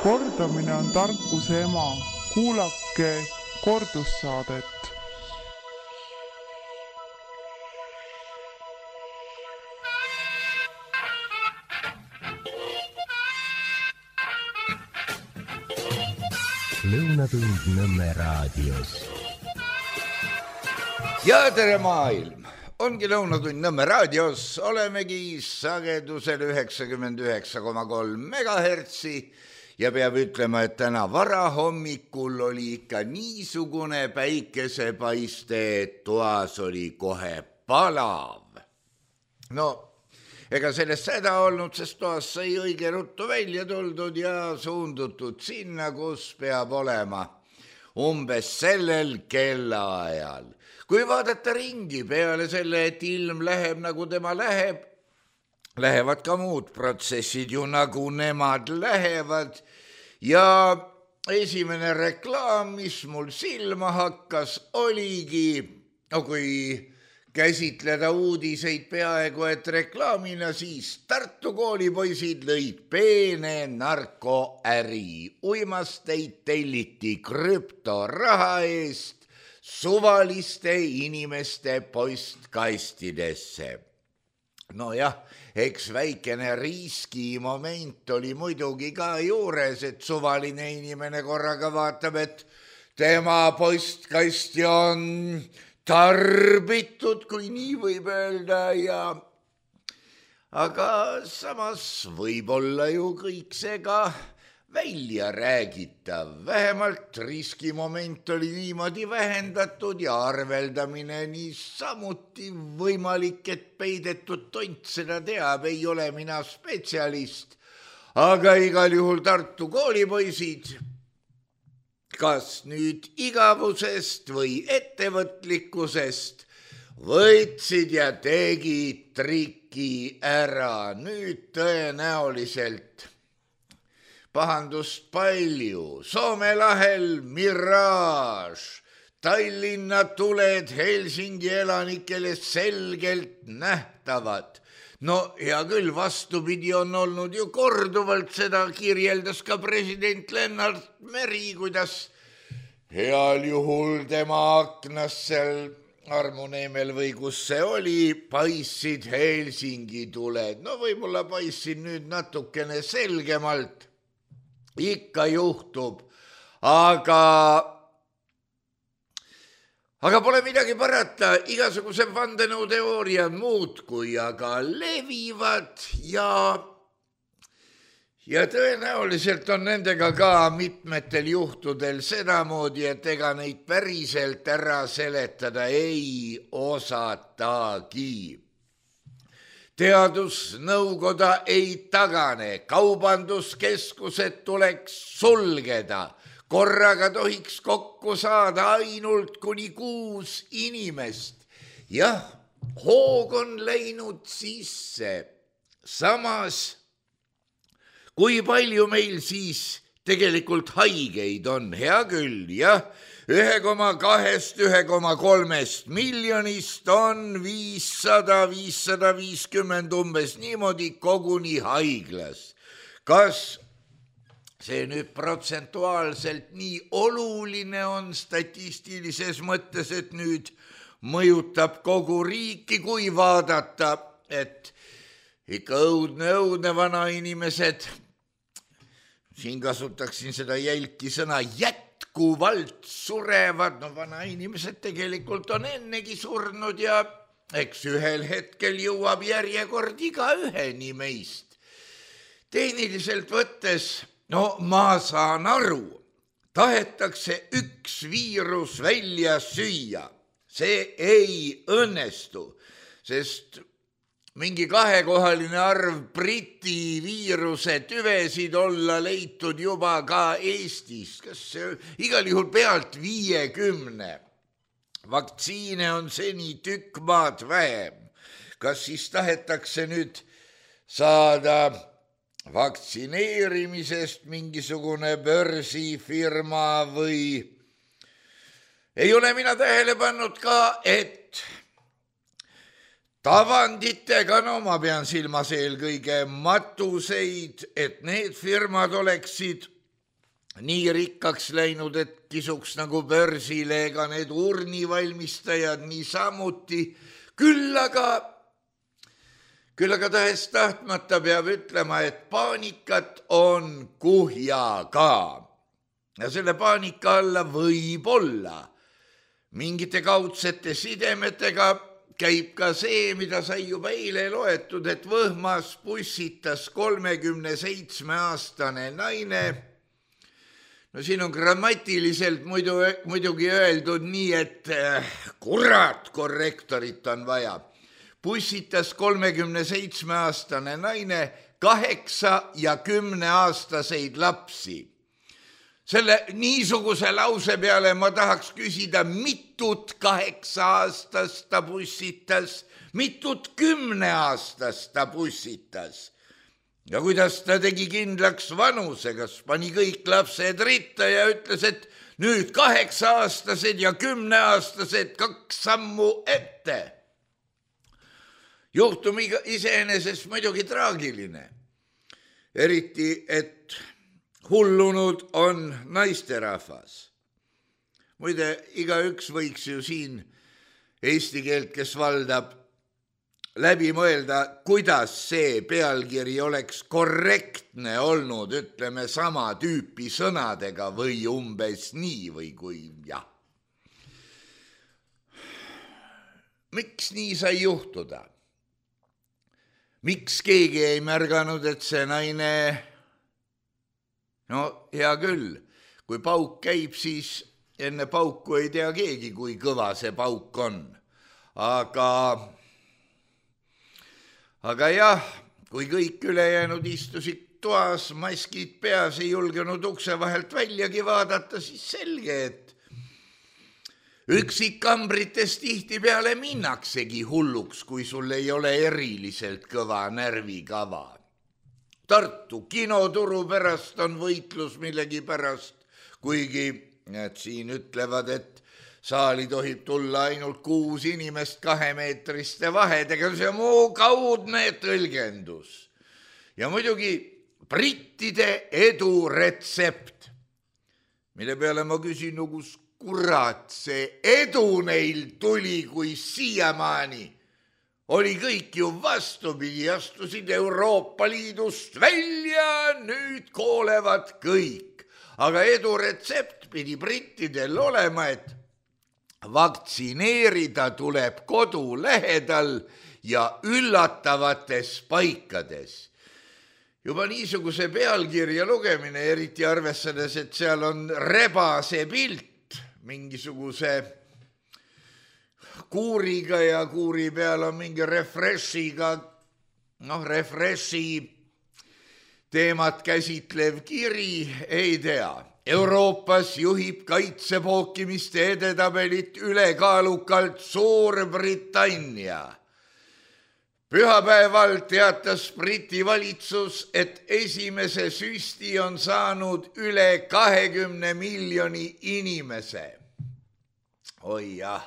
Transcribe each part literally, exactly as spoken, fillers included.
Kordamine on tarkuse ema. Kuulake kordussaadet. Lõunatund Nõmme raadios. Ja tere maailm! Ongi Lõunatund Nõmme raadios. Olemegi sagedusel üheksakümmend üheksa koma kolm megahertsi ja peab ütlema, et täna varahommikul oli ikka niisugune päikesepaiste, et toas oli kohe palav. No, ega sellest seda olnud, sest toas sai õige ruttu välja tuldud ja suundutud sinna, kus peab olema. Umbes sellel kellaajal. Kui vaadata ringi peale selle, et ilm läheb nagu tema läheb, lähevad ka muud protsessid ju nagu nemad lähevad ja esimene reklaam, mis mul silma hakkas, oligi, no kui käsitleda uudiseid peaaegu et reklaamina, siis Tartu koolipoisid lõid peene narkoäri. Uimasteid telliti krüptoraha eest suvaliste inimeste postkastidesse. No jah, eks väikene riskimoment oli muidugi ka juures, et suvaline inimene korraga vaatab, et tema postkasti on tarbitud, kui nii võib öelda, ja aga samas võib olla ju kõik see ka välja räägitav. Vähemalt riskimoment oli niimoodi vähendatud ja arveldamine nii samuti võimalik, et peidetud tont seda teab, ei ole mina spetsialist, aga igal juhul Tartu koolipoisid, kas nüüd igavusest või ettevõtlikkusest, võtsid ja tegid triki ära. Nüüd tõenäoliselt pahandust palju. Soome lahel Mirage, Tallinna tuled Helsingi elanikele selgelt nähtavad. No hea küll, vastupidi on olnud ju korduvalt, seda kirjeldas ka president Lennart Meri, kuidas heal juhul tema aknas seal Armuneemel või kus see oli, paissid Helsingi tuled. No võib-olla paissid nüüd natukene selgemalt. Ikka juhtub, aga, aga pole midagi parata, igasuguse vandenõuteooriad muudkui aga levivad ja, ja tõenäoliselt on nendega ka mitmetel juhtudel sedamoodi, et ega neid päriselt ära seletada ei osatagi. Teadusnõukoda ei tagane, kaubanduskeskused tuleks sulgeda, korraga tohiks kokku saada ainult kuni kuus inimest. Jah, hoog on läinud sisse. Samas, kui palju meil siis tegelikult haigeid on? Hea küll, jah. ühe koma kahest ühe koma kolmest miljonist on viissada, viissada viiskümmend umbes niimoodi koguni haiglas. Kas see nüüd protsentuaalselt nii oluline on statistilises mõttes, et nüüd mõjutab kogu riiki, kui vaadata, et ikka õudne, õudne vana inimesed, siin kasutaksin seda jälki sõna jät, kuvalt surevad, no vana inimesed tegelikult on ennegi surnud ja eks ühel hetkel jõuab järjekord iga üheni meist. Tehniliselt võttes, no ma saan aru, tahetakse üks viirus välja süüa. See ei õnnestu, sest mingi kahekohaline arv Briti viiruse tüvesid olla leitud juba ka Eestis. Kas see igal juhul pealt viiekümne? Vaktsiine on seni tükk maad vähem. Kas siis tahetakse nüüd saada vaktsineerimisest mingisugune börsifirma või ei ole mina tähele pannud ka, et tavanditega, no ma pean silmas eelkõige matuseid, et need firmad oleksid nii rikkaks läinud, et kisuks nagu börsile, ega need urnivalmistajad niisamuti. Küll aga, küll aga tahes tahtmata peab ütlema, et paanikat on kuhja ka. Ja selle paanika alla võib olla mingite kaudsete sidemetega käib ka see, mida sai juba eile loetud, et Võhmas pussitas kolmekümne seitsme aastane naine. No siin on grammatiliselt muidu, muidugi öeldud nii, et kurat korrektorit on vaja. Pussitas kolmekümne seitsme aastane naine kaheksa ja kümne aastaseid lapsi. Selle niisuguse lause peale ma tahaks küsida, mitut kaheksa aastast ta pussitas, mitut kümne aastast ta pussitas. Ja kuidas ta tegi kindlaks vanuse, kas pani kõik lapsed ritta ja ütles, et nüüd kaheksa aastased ja kümne aastased kaks sammu ette. Juhtum iseenesest muidugi traagiline. Eriti, et hullunud on naisterahvas. Muide, igaüks võiks ju siin eesti keelt, kes valdab, läbi mõelda, kuidas see pealkiri oleks korrektne olnud, ütleme sama tüüpi sõnadega või umbes nii või kui jah. Miks nii sai juhtuda? Miks keegi ei märganud, et see naine, no hea küll, kui pauk käib, siis enne pauku ei tea keegi, kui kõva see pauk on. Aga, aga jah, kui kõik ülejäänud istusid toas, maskid peas, ei julgenud ukse vahelt väljagi vaadata, siis selge, et üksikambrites tihti peale minnaksegi hulluks, kui sul ei ole eriliselt kõva närvikava. Tartu kinoturu pärast on võitlus millegi pärast, kuigi need siin ütlevad, et saali tohib tulla ainult kuus inimest kahemeetriste vahedega, see on muu kaudne tõlgendus. Ja muidugi brittide edu retsept, mille peale ma küsin, no kus kurat see edu neil tuli, kui siiamaani oli kõik ju vastupidi, astusid Euroopa Liidust välja, nüüd koolevad kõik. Aga edu retsept pidi brittidel olema, et vaktsineerida tuleb kodu lähedal ja üllatavates paikades. Juba niisuguse pealkirja lugemine, eriti arvestades, et seal on rebase pilt mingisuguse kuuriga ja kuuri peal on mingi refreshiga, noh, refreshi teemat käsitlev kiri, ei tea. Euroopas juhib kaitsepookimiste edetabelit ülekaalukalt Suurbritannia. Pühapäeval teatas Briti valitsus, et esimese süsti on saanud üle kahekümne miljoni inimese. Oi jah,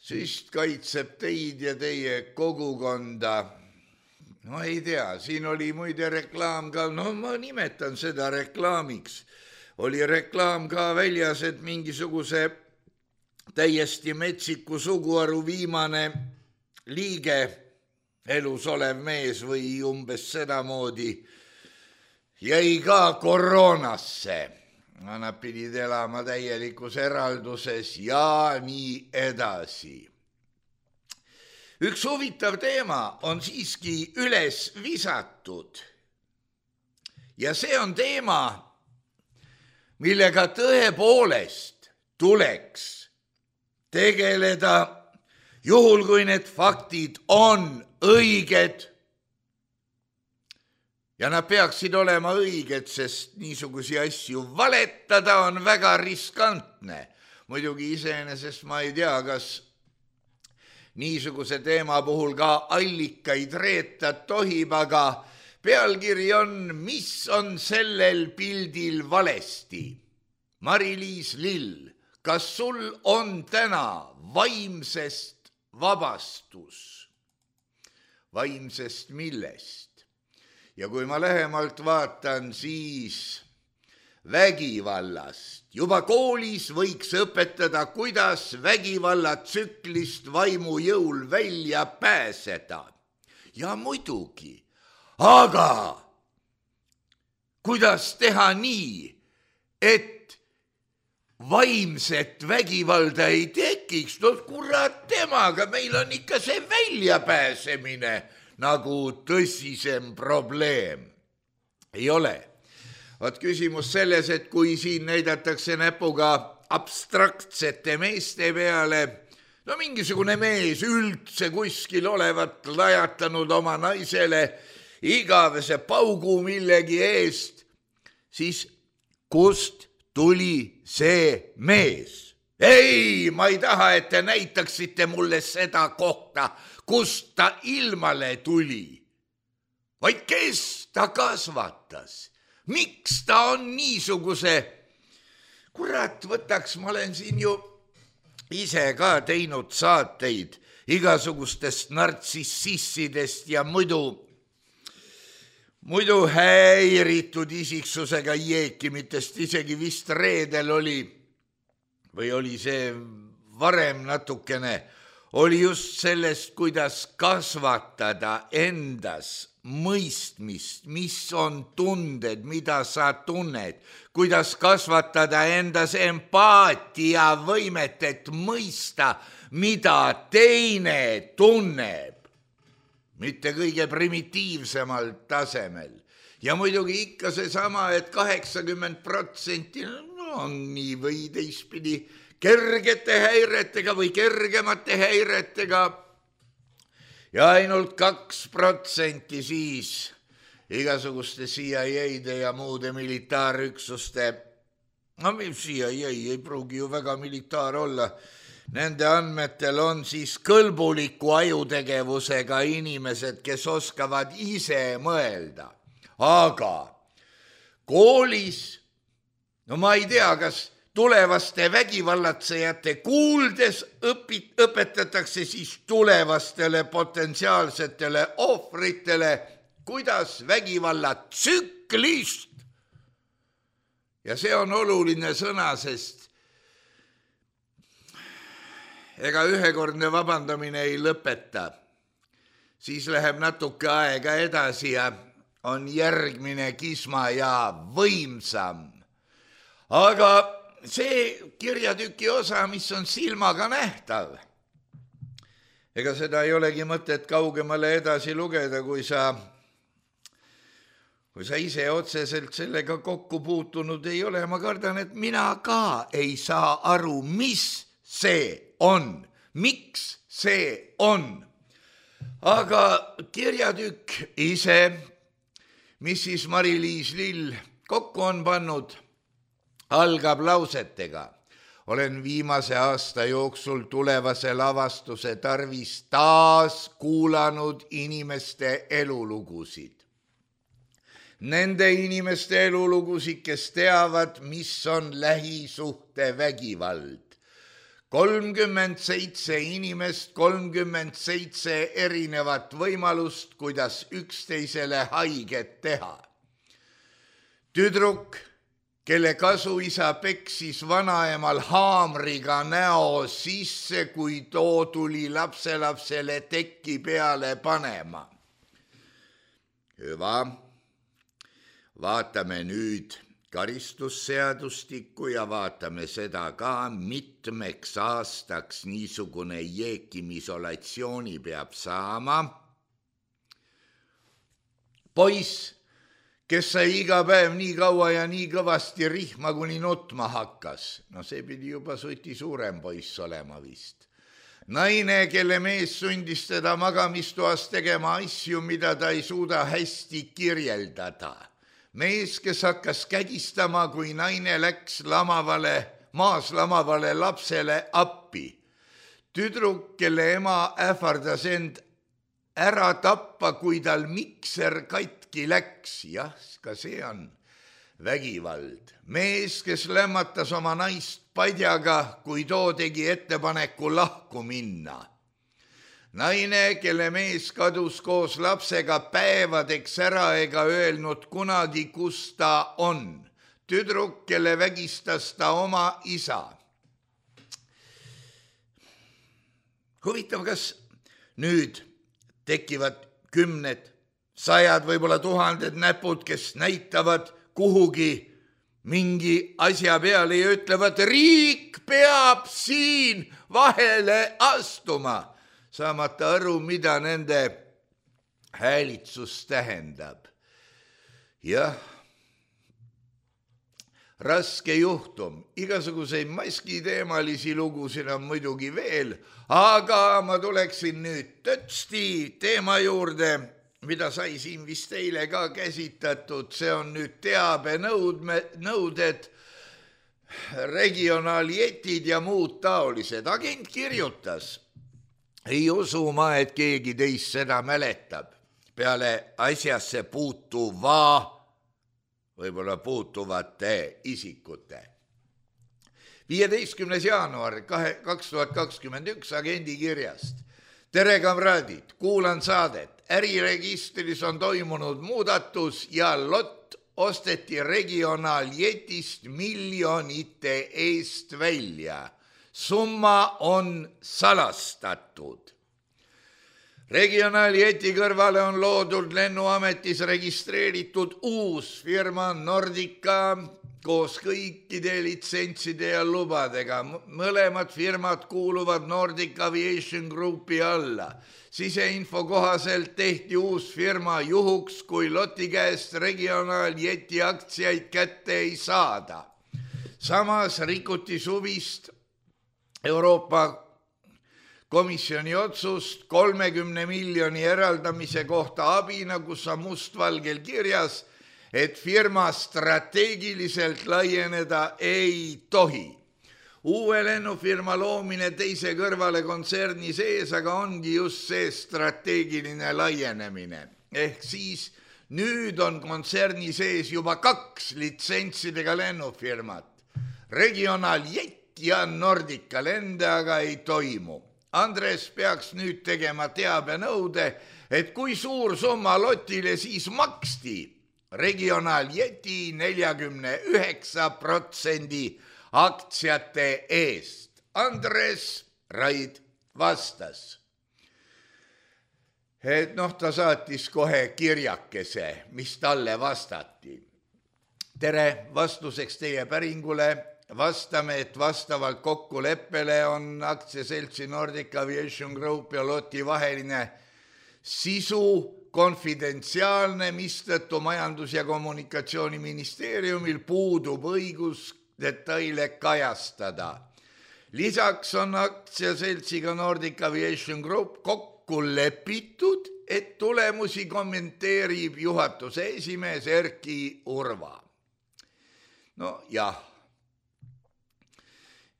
süst kaitseb teid ja teie kogukonda. No ei tea, siin oli muide reklaam ka, no ma nimetan seda reklaamiks. Oli reklaam ka väljas, et mingisuguse täiesti metsiku suguharu viimane liige, elus olev mees või umbes sedamoodi, jäi ka koroonasse. Nad pidid elama täielikus eralduses ja nii edasi. Üks huvitav teema on siiski üles visatud. Ja see on teema, millega tõepoolest tuleks tegeleda, juhul kui need faktid on õiged. Ja nad peaksid olema õiged, sest niisugusi asju valetada on väga riskantne. Muidugi iseenesest ma ei tea, kas niisuguse teema puhul ka allikaid reeta tohib, aga pealkiri on, mis on sellel pildil valesti. Mari-Liis Lill, kas sul on täna vaimsest vabastus? Vaimsest millest? Ja kui ma lähemalt vaatan, siis vägivallast. Juba koolis võiks õpetada, kuidas vägivallatsüklist vaimu jõul välja pääseda. Ja muidugi, aga kuidas teha nii, et vaimset vägivalda ei tekiks? No kurat temaga, meil on ikka see väljapääsemine nagu tõsisem probleem. Ei ole. Vaat küsimus selles, et kui siin näidatakse näpuga abstraktsete meeste peale, no mingisugune mees üldse kuskil olevat lajatanud oma naisele igavese paugu millegi eest, siis kust tuli see mees? Ei, ma ei taha, et te näitaksite mulle seda kohta, kust ta ilmale tuli, vaid kes ta kasvatas. Miks ta on niisuguse, kurat võtaks, ma olen siin ju ise ka teinud saateid igasugustest nartsississidest ja muidu, muidu häiritud isiksusega jeekimitest, isegi vist reedel oli, või oli see varem natukene, oli just sellest, kuidas kasvatada endas mõistmist, mis on tunded, mida sa tunned, kuidas kasvatada endas empaatia võimet, et mõista, mida teine tunneb, mitte kõige primitiivsemal tasemel. Ja muidugi ikka seesama, et kaheksakümmend protsenti no, on nii või teistpidi kergete häiretega või kergemate häiretega, ja ainult kaks protsenti siis igasuguste C I A-de ja muude militaarüksuste, no C I A ei pruugi ju väga militaar olla, nende andmetel on siis kõlbuliku ajutegevusega inimesed, kes oskavad ise mõelda. Aga koolis, no ma ei tea, kas tulevaste vägivallatsejate kuuldes õpit, õpetatakse siis tulevastele potentsiaalsetele ohvritele, kuidas vägivallatsüklist. Ja see on oluline sõna, sest ega ühekordne vabandamine ei lõpeta. Siis läheb natuke aega edasi ja on järgmine kisma ja võimsam. Aga see kirjatüki osa, mis on silmaga nähtav, ega seda ei olegi mõtet kaugemale edasi lugeda, kui sa, kui sa ise otseselt sellega kokku puutunud ei ole. Ma kardan, et mina ka ei saa aru, mis see on, miks see on. Aga kirjatükk ise, mis siis Mari-Liis Lill kokku on pannud, algab lausetega. Olen viimase aasta jooksul tulevase lavastuse tarvis taas kuulanud inimeste elulugusid. Nende inimeste elulugusid, kes teavad, mis on lähisuhte vägivald. kolmkümmend seitse inimest, kolmkümmend seitse erinevat võimalust, kuidas üksteisele haiget teha. Tüdruk, kelle kasuisa peksis vanaemal haamriga näo sisse, kui too tuli lapselapsele tekki peale panema. Hüva, vaatame nüüd karistusseadustikku ja vaatame seda ka, mitmeks aastaks niisugune jeekimisolatsiooni peab saama. Poiss, kes sai iga päev nii kaua ja nii kõvasti rihma, kuni nutma hakkas. No see pidi juba suti suurem poiss olema vist. Naine, kelle mees sundis teda magamistoas tegema asju, mida ta ei suuda hästi kirjeldada. Mees, kes hakkas kägistama, kui naine läks lamavale, maas lamavale lapsele appi. Tüdruk, kelle ema ähvardas end ära tappa, kui tal mikser katki läks. Jah, ka see on vägivald. Mees, kes lämmatas oma naist padjaga, kui too tegi ettepaneku lahku minna. Naine, kelle mees kadus koos lapsega päevadeks ära ega öelnud kunagi, kus ta on. tüdruk, kelle vägistas ta oma isa. Huvitav, kas nüüd tekivad kümned, sajad, võib-olla tuhanded näpud, kes näitavad kuhugi mingi asja peale ja ütlevad, riik peab siin vahele astuma, saamata aru, mida nende häälitsus tähendab. Jah, raske juhtum, igasuguseid maskiteemalisi lugusid on muidugi veel, aga ma tuleksin nüüd tõtsti teema juurde, mida sai siin vist eile ka käsitatud, see on nüüd teabenõuded, regionaaljetid ja muud taolised. Agent kirjutas, ei usu ma, et keegi teist seda mäletab, peale asjasse puutuva, võib-olla puutuvate isikute. viieteistkümnes jaanuar kaks tuhat kakskümmend üks agendi kirjast. Tere, kamraadid, kuulan saadet. Äriregistris on toimunud muudatus ja lott osteti regionaaljetist miljonite eest välja. Summa on salastatud. Regionaaljeti kõrvale on loodud lennuametis registreeritud uus firma Nordica koos kõikide litsentside ja lubadega. Mõlemad firmad kuuluvad Nordic Aviation Groupi alla. Siseinfo kohaselt tehti uus firma juhuks, kui loti käest regionaaljeti aktsiaid kätte ei saada. Samas rikuti suvist Euroopa Komisjoni otsust kolmekümne miljoni eraldamise kohta abina, kus on mustvalgel kirjas, et firma strateegiliselt laieneda ei tohi. Uue lennufirma loomine teise kõrvale kontserni sees, aga ongi just see strateegiline laienemine. Ehk siis nüüd on kontserni sees juba kaks litsentsidega lennufirmat. Regionaaljett ja Nordica lende aga ei toimu. Andres peaks nüüd tegema teabenõude, et kui suur summa lotile siis maksti regionaaljeti neljakümne üheksa protsendi aktsiate eest. Andres Raid vastas, et noh, ta saatis kohe kirjakese, mis talle vastati. Tere, vastuseks teie päringule vastame, et vastavalt kokkuleppele on aktsiaseltsi Nordic Aviation Group ja loti vaheline sisu konfidentsiaalne, mistõttu Majandus- ja Kommunikatsiooniministeeriumil puudub õigus detaile kajastada. Lisaks on aktsiaseltsiga Nordic Aviation Group kokku lepitud, et tulemusi kommenteerib juhatuse esimees Erki Urva. No jah.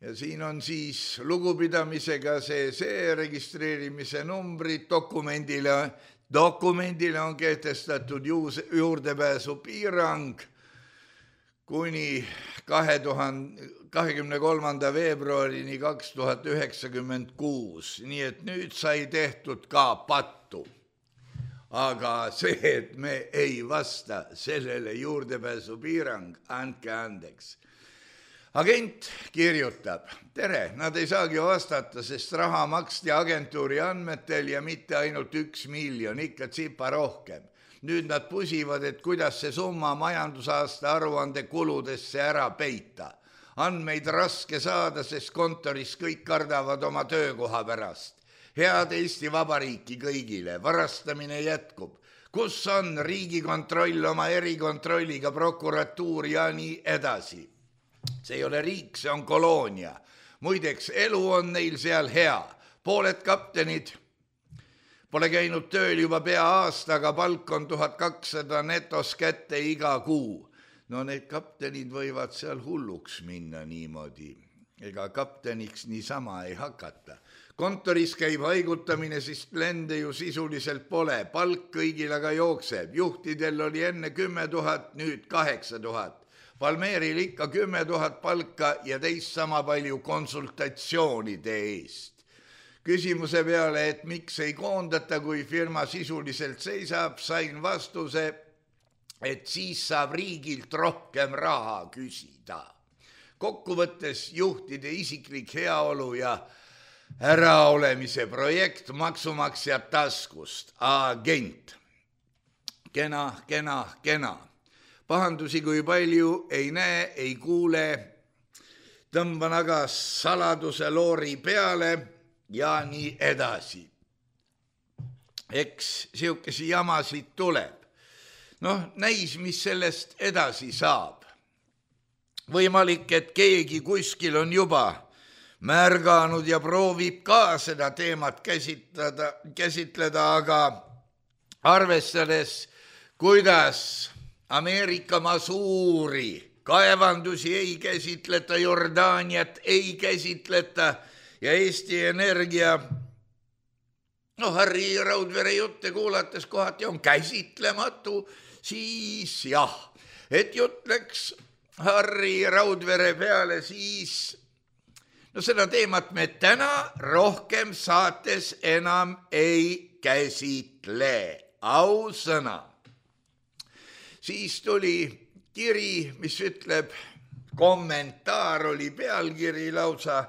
Ja siin on siis lugupidamisega see, see registreerimise numbrid dokumendile, dokumendile on kehtestatud juurdepääsu piirang kuni kahekümne kolmanda veebruarini kaks tuhat üheksakümmend kuus, nii et nüüd sai tehtud ka pattu. Aga see, et me ei vasta sellele juurdepääsu piirang, andke andeks. Agent kirjutab, tere, nad ei saagi vastata, sest raha maksti agentuuri andmetel ja mitte ainult üks miljon, ikka tsipa rohkem. Nüüd nad pusivad, et kuidas see summa majandusaasta aruande kuludesse ära peita. Andmeid raske saada, sest kontoris kõik kardavad oma töökoha pärast. Head Eesti Vabariiki kõigile, varastamine jätkub. Kus on Riigikontroll oma erikontrolliga, prokuratuur ja nii edasi? See ei ole riik, see on koloonia. Muideks, elu on neil seal hea. Pooled kaptenid pole käinud tööl juba pea aasta, aga palk on tuhat kakssada netos kätte iga kuu. No need kaptenid võivad seal hulluks minna niimoodi. Ega kapteniks niisama ei hakata. Kontoris käib haigutamine, sest lende ju sisuliselt pole. Palk kõigil aga jookseb. Juhtidel oli enne kümme tuhat, nüüd kaheksa tuhat. Palmeeril ikka kümme tuhat palka ja teist sama palju konsultatsioonide eest. Küsimuse peale, et miks ei koondata, kui firma sisuliselt seisab, sain vastuse, et siis saab riigilt rohkem raha küsida. Kokkuvõttes juhtide isiklik heaolu ja äraolemise projekt maksumaksjad taskust. Agent. Kena, kena, kena. Pahandusi kui palju ei näe, ei kuule. Tõmban aga saladuse loori peale ja nii edasi. Eks siukesi jamasid tuleb. Noh, näis, mis sellest edasi saab. Võimalik, et keegi kuskil on juba märganud ja proovib ka seda teemat käsitleda, käsitleda, aga arvestades, kuidas Ameerika suuri kaevandusi ei käsitleta, Jordaaniat ei käsitleta ja Eesti Energia, no Harri Raudvere jutte kuulates kohati on käsitlematu, siis jah, et jutt läks Harri Raudvere peale, siis no seda teemat me täna rohkem saates enam ei käsitle, ausõna. Siis tuli kiri, mis ütleb, kommentaar oli pealkiri lausa,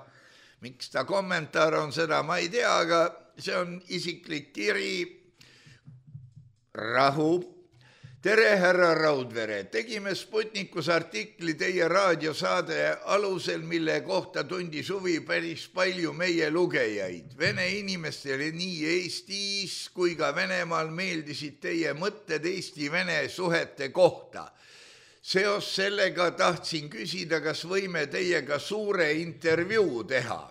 miks ta kommentaar on, seda ma ei tea, aga see on isiklik kiri. Rahu. Tere, härra Raudvere. Tegime Sputnikus artikli teie raadiosaade alusel, mille kohta tundis huvi päris palju meie lugejaid. Vene inimestele nii Eestis kui ka Venemaal meeldisid teie mõtted Eesti-Vene suhete kohta. Seos sellega tahtsin küsida, kas võime teiega suure intervjuu teha.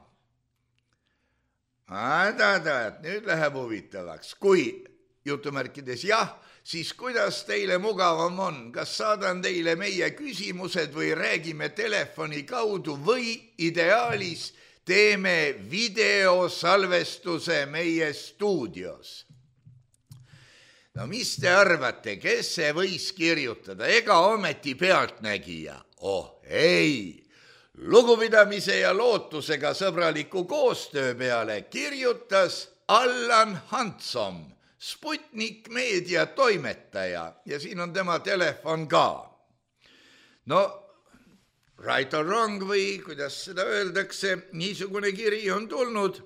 Aa-ta-ta, nüüd läheb huvitavaks. Kui jutumärkides jah, siis kuidas teile mugavam on? Kas saadan teile meie küsimused või räägime telefoni kaudu või ideaalis teeme videosalvestuse meie stuudios? No mis te arvate, kes see võis kirjutada? Ega ometi pealtnägija? Oh ei, lugupidamise ja lootusega sõbraliku koostöö peale kirjutas Allan Hansom, Sputnik meedia toimetaja ja siin on tema telefon ka. No, right or wrong või kuidas seda öeldakse, niisugune kiri on tulnud.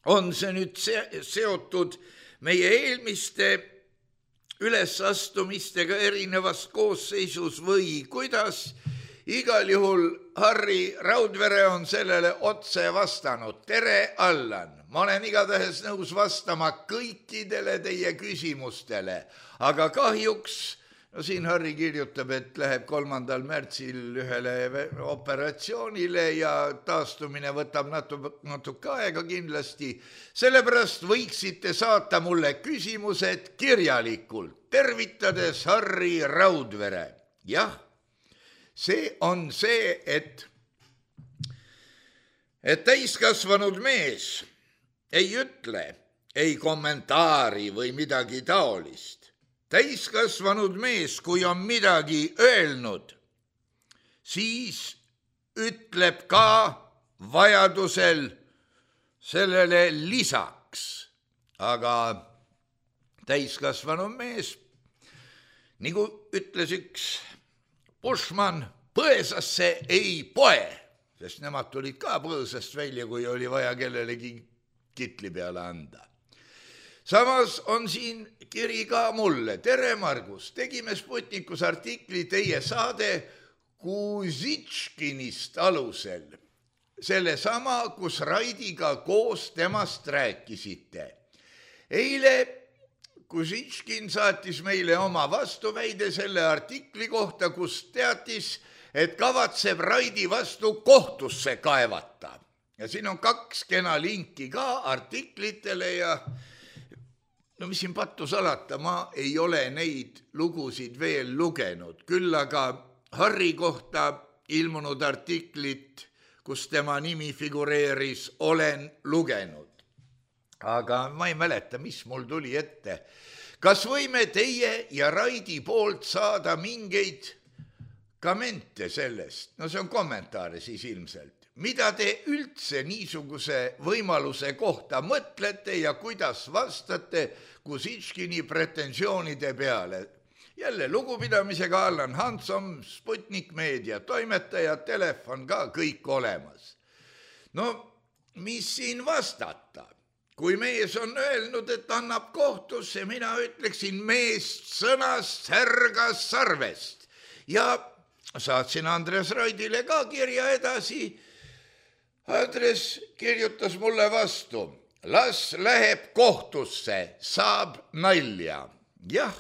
On see nüüd seotud meie eelmiste ülesastumistega erinevas koosseisus või kuidas? Igal juhul Harri Raudvere on sellele otse vastanud. Tere, Allan! Ma olen igatahes nõus vastama kõikidele teie küsimustele, aga kahjuks, no siin Harri kirjutab, et läheb kolmandal märtsil ühele operatsioonile ja taastumine võtab natuke, natuke aega kindlasti. Sellepärast võiksite saata mulle küsimused kirjalikult, tervitades Harri Raudvere. Jah, see on see, et, et täiskasvanud mees ei ütle, ei kommentaari või midagi taolist. Täiskasvanud mees, kui on midagi öelnud, siis ütleb ka vajadusel sellele lisaks. Aga täiskasvanud mees, nagu ütles üks Bushman, põõsasse ei poe, sest nemad tulid ka põõsast välja, kui oli vaja kellelegi kitli peale anda. Samas on siin kiri ka mulle. Tere, Margus, tegime Sputnikus artikli teie saade Kuzitškinist alusel. Selle sama, kus Raidiga koos temast rääkisite. Eile Kuzitškin saatis meile oma vastuväide selle artikli kohta, kus teatis, et kavatseb Raidi vastu kohtusse kaevata. Ja siin on kaks kena linki ka artiklitele ja no mis siin pattu salata, ma ei ole neid lugusid veel lugenud. Küll aga Harri kohta ilmunud artiklit, kus tema nimi figureeris, olen lugenud. Aga ma ei mäleta, mis mul tuli ette. Kas võime teie ja Raidi poolt saada mingeid kommente sellest? No see on kommentaare siis ilmselt. Mida te üldse niisuguse võimaluse kohta mõtlete ja kuidas vastate Kuzitškini pretensioonide peale? jälle lugupidamisega Allan Hansom, Sputnik Meedia toimetaja, telefon ka kõik olemas. No, mis siin vastata? Kui mees on öelnud, et annab kohtusse, mina ütleksin meest sõnast särgas sarvest. Ja saatsin Andres Roidile ka kirja edasi. Andres kirjutas mulle vastu. Las läheb kohtusse, saab nalja. Jah,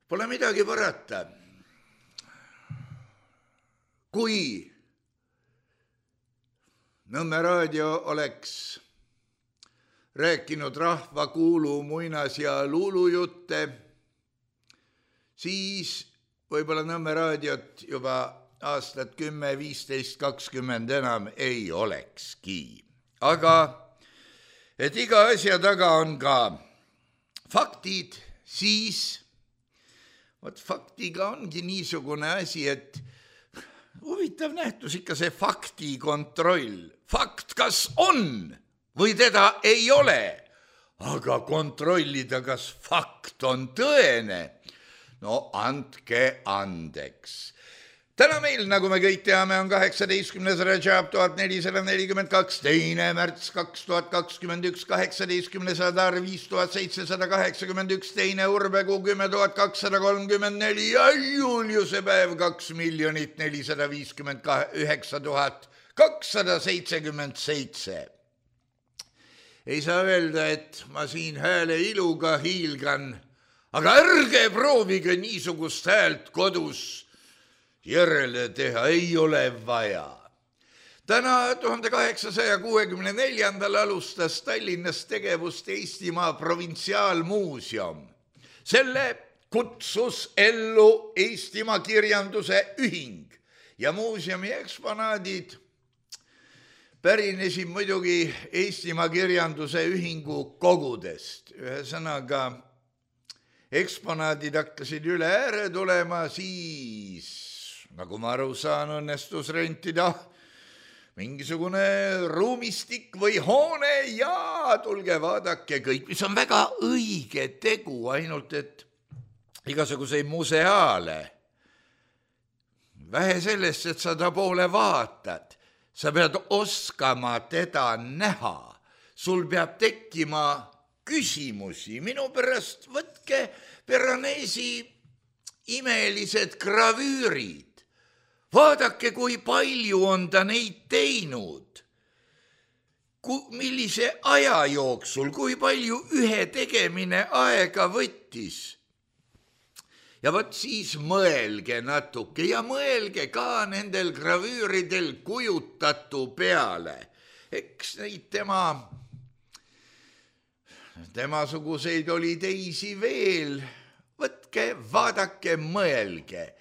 pole midagi parata. Kui Nõmme raadio oleks rääkinud rahva kuulu muinas ja luulujutte, siis võib-olla Nõmme raadiot juba aastat kümme, viisteist, kakskümmend enam ei olekski. Aga et iga asja taga on ka faktid, siis vot faktiga ongi niisugune asi, et huvitav nähtus ikka see fakti kontroll. Fakt kas on või teda ei ole, aga kontrollida, kas fakt on tõene. No andke andeks. Täna meil, nagu me kõik teame, on kaheksateistkümnes Rajab tuhat nelisada nelikümmend kaks, teine märts kaks tuhat kakskümmend üks, kaheksateistkümnes Adar viis tuhat seitsesada kaheksakümmend üks, teine Urbekuu kümme tuhat kakssada kolmkümmend neli ja Juliuse päev kaks miljonit nelisada viiskümmend üheksa tuhat kakssada seitsekümmend seitse. Ei saa öelda, et ma siin hääle iluga hiilgan, aga ärge proovige niisugust häält kodus järele teha, ei ole vaja. Täna tuhande kaheksasaja kuuekümne neljandal alustas Tallinnas tegevust Eestimaa Provintsiaalmuuseum. Selle kutsus ellu Eestimaa kirjanduse ühing ja muuseumi eksponaadid pärinesid muidugi Eestimaa kirjanduse ühingu kogudest. Ühesõnaga, eksponaadid hakkasid üle ääre tulema, siis nagu ma aru saan, õnnestus rentida mingisugune ruumistik või hoone ja tulge vaadake kõik, mis on väga õige tegu, ainult et igasuguseid museaale. Vähe sellest, et sa ta poole vaatad, sa pead oskama teda näha, sul peab tekkima küsimusi, minu pärast võtke Piranesi imelised gravüürid. Vaadake, kui palju on ta neid teinud, millise aja jooksul, kui palju ühe tegemine aega võttis. Ja võt siis mõelge natuke ja mõelge ka nendel gravüüridel kujutatu peale. Eks neid tema, temasuguseid oli teisi veel. Võtke, vaadake, mõelge.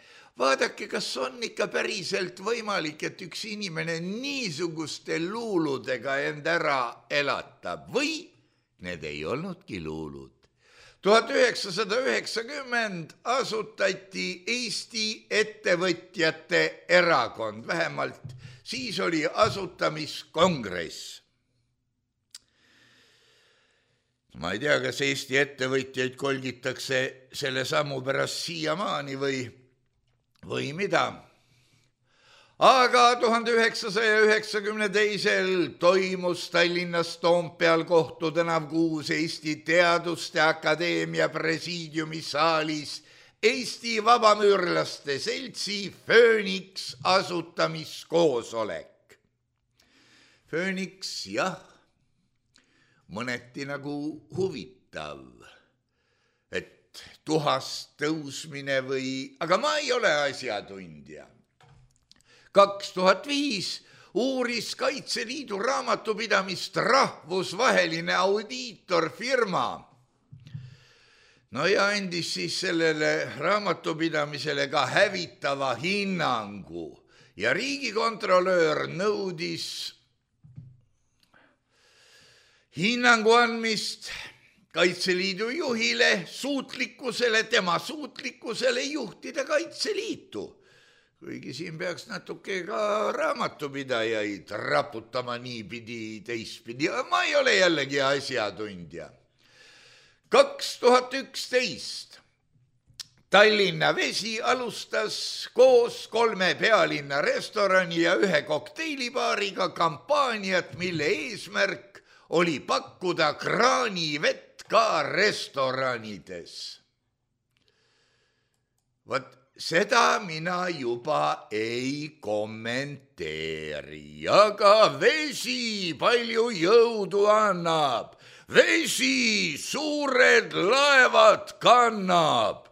Vaadake, kas on ikka päriselt võimalik, et üks inimene niisuguste luuludega end ära elatab või need ei olnudki luulud. tuhat üheksasada üheksakümmend asutati Eesti ettevõtjate erakond, vähemalt siis oli asutamiskongress. Ma ei tea, kas Eesti ettevõtjaid kolgitakse selle sammu pärast siiamaani või või mida. Aga tuhande üheksasaja üheksakümne teisel toimus Tallinnas Toompeal Kohtu tänav kuus Eesti Teaduste Akadeemia presiidiumi saalis Eesti Vabamüürlaste Seltsi Fööniks asutamiskoosolek. Fööniks, jah, mõneti nagu huvitav, et tuhast tõusmine või, aga ma ei ole asjatundja. kaks tuhat viis uuris Kaitseliidu raamatupidamist rahvusvaheline audiitorfirma. No ja andis siis sellele raamatupidamisele ka hävitava hinnangu ja riigikontrolöör nõudis hinnangu andmist Kaitseliidu juhile suutlikkusele, tema suutlikkusele juhtida Kaitseliitu. Kuigi siin peaks natuke ka raamatupidajaid raputama niipidi teistpidi. Ma ei ole jällegi asjatundja. kaks tuhat üksteist Tallinna Vesi alustas koos kolme pealinna restorani ja ühe kokteilibaariga kampaaniat, mille eesmärk oli pakkuda kraanivett ka restoranides. Vot seda mina juba ei kommenteeri, aga vesi palju jõudu annab. Vesi suured laevad kannab.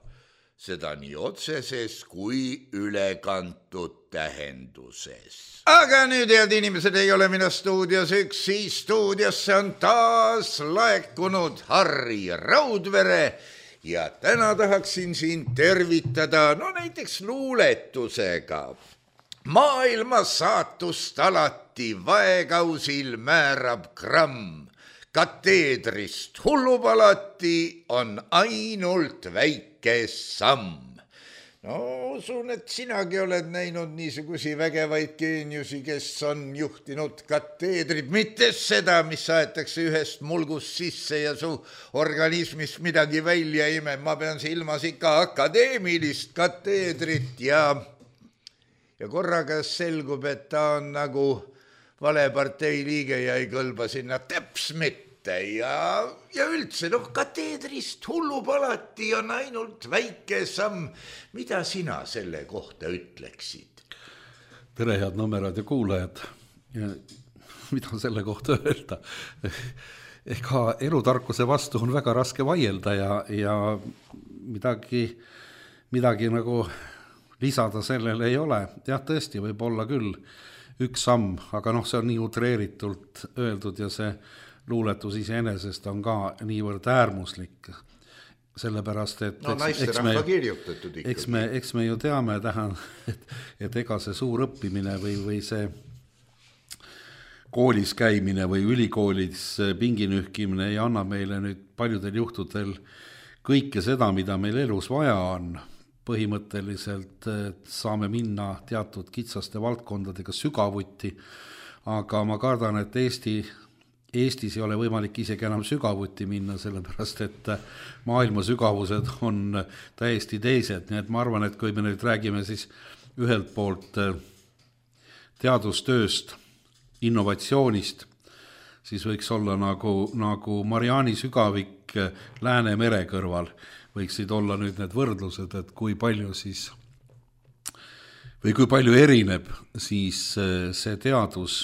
Seda nii otseses kui ülekantud tähenduses. Aga nüüd, head inimesed, ei ole mina stuudios üksi. Stuudiosse on taas laekunud Harri Raudvere ja täna tahaksin siin tervitada, no näiteks luuletusega. Maailma saatust alati vaekausil määrab gramm. Kateedrist hullupalati on ainult väike samm. No usun, et sinagi oled näinud niisugusi vägevaid geeniusi, kes on juhtinud kateedrit, mitte seda, mis aetakse ühest mulgust sisse ja su organismist midagi välja ime. Ma pean silmas ikka akadeemilist kateedrit ja, ja korraga selgub, et ta on nagu vale partei liige ja ei kõlba sinna teps mitte ja, ja üldse, noh, kateedrist hullupalati on ainult väike samm. Mida sina selle kohta ütleksid? Tere, head Nõmmeraadio kuulajad. Ja mida selle kohta öelda? Ega elutarkuse vastu on väga raske vaielda ja, ja midagi, midagi nagu lisada sellele ei ole. Jah, tõesti võib olla küll üks samm, aga noh, see on nii utreeritult öeldud ja see luuletus iseenesest on ka niivõrd äärmuslik, sellepärast, et no naisterahva kirjutatud ikkagi. Eks me, eks me ju teame tähan, et, et ega see suur õppimine või, või see koolis käimine või ülikoolis pinginühkimine ei anna meile nüüd paljudel juhtudel kõike seda, mida meil elus vaja on. Põhimõtteliselt saame minna teatud kitsaste valdkondadega sügavuti, aga ma kardan, et Eesti, Eestis ei ole võimalik isegi enam sügavuti minna, sellepärast et maailma sügavused on täiesti teised. Nii et ma arvan, et kui me nüüd räägime siis ühelt poolt teadustööst, innovatsioonist, siis võiks olla nagu, nagu Mariani sügavik Läänemere kõrval. Võiksid olla nüüd need võrdlused, et kui palju siis või kui palju erineb siis see teadus,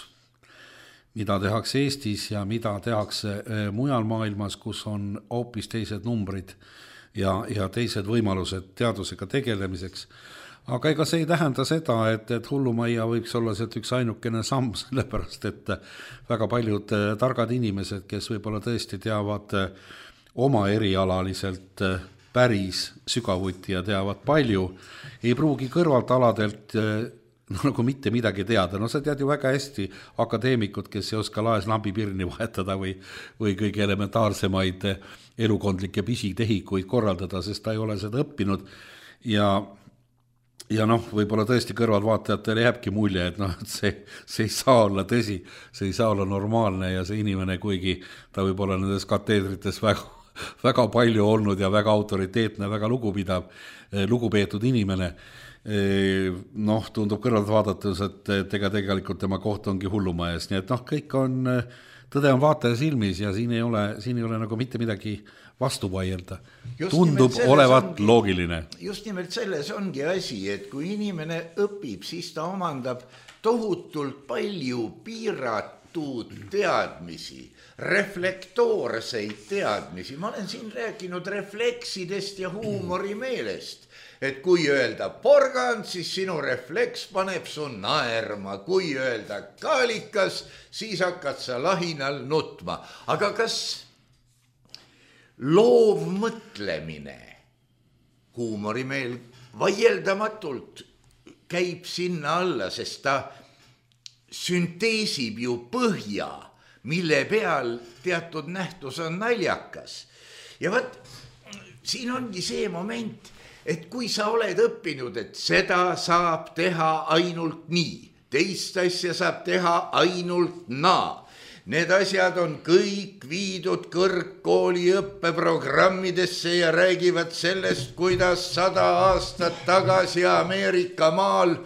mida tehakse Eestis ja mida tehakse mujal maailmas, kus on hoopis teised numbrid ja, ja teised võimalused teadusega tegelemiseks. Aga ega see ei tähenda seda, et, et hullumajja võiks olla sealt üks ainukene samm, sellepärast et väga paljud targad inimesed, kes võib-olla tõesti teavad oma erialaliselt päris sügavuti ja teavad palju, ei pruugi kõrvalt aladelt no, nagu mitte midagi teada. No sa tead ju väga hästi akadeemikud, kes ei oska laes lambipirni vahetada või, või kõige elementaarsemaid elukondlikke pisitehikuid korraldada, sest ta ei ole seda õppinud ja Ja noh, võib-olla tõesti kõrvalvaatajatele jääbki mulje, et, no, et see, see ei saa olla tõsi, see ei saa olla normaalne ja see inimene, kuigi ta võib olla nendes kateedrites väga, väga palju olnud ja väga autoriteetne, väga lugupidav, lugupeetud inimene, noh, tundub kõrvalt vaadates, et ega tegelikult tema koht ongi hullumajas, nii et noh, kõik on, tõde on vaataja silmis ja siin ei ole, siin ei ole nagu mitte midagi vastu vaielda. Tundub olevat ongi, loogiline. Just nimelt selles ongi asi, et kui inimene õpib, siis ta omandab tohutult palju piiratud teadmisi, reflektoorseid teadmisi. Ma olen siin rääkinud refleksidest ja huumorimeelest. Et kui öelda porgand, siis sinu refleks paneb su naerma. Kui öelda kaalikas, siis hakkad sa lahinal nutma. Aga kas loov mõtlemine, huumorimeel vaieldamatult käib sinna alla, sest ta sünteesib ju põhja, mille peal teatud nähtus on naljakas. Ja võt, siin ongi see moment, et kui sa oled õppinud, et seda saab teha ainult nii, teist asja saab teha ainult naa, Need asjad on kõik viidud kõrgkooli õppeprogrammidesse ja räägivad sellest, kuidas sada aastat tagasi Ameerika maal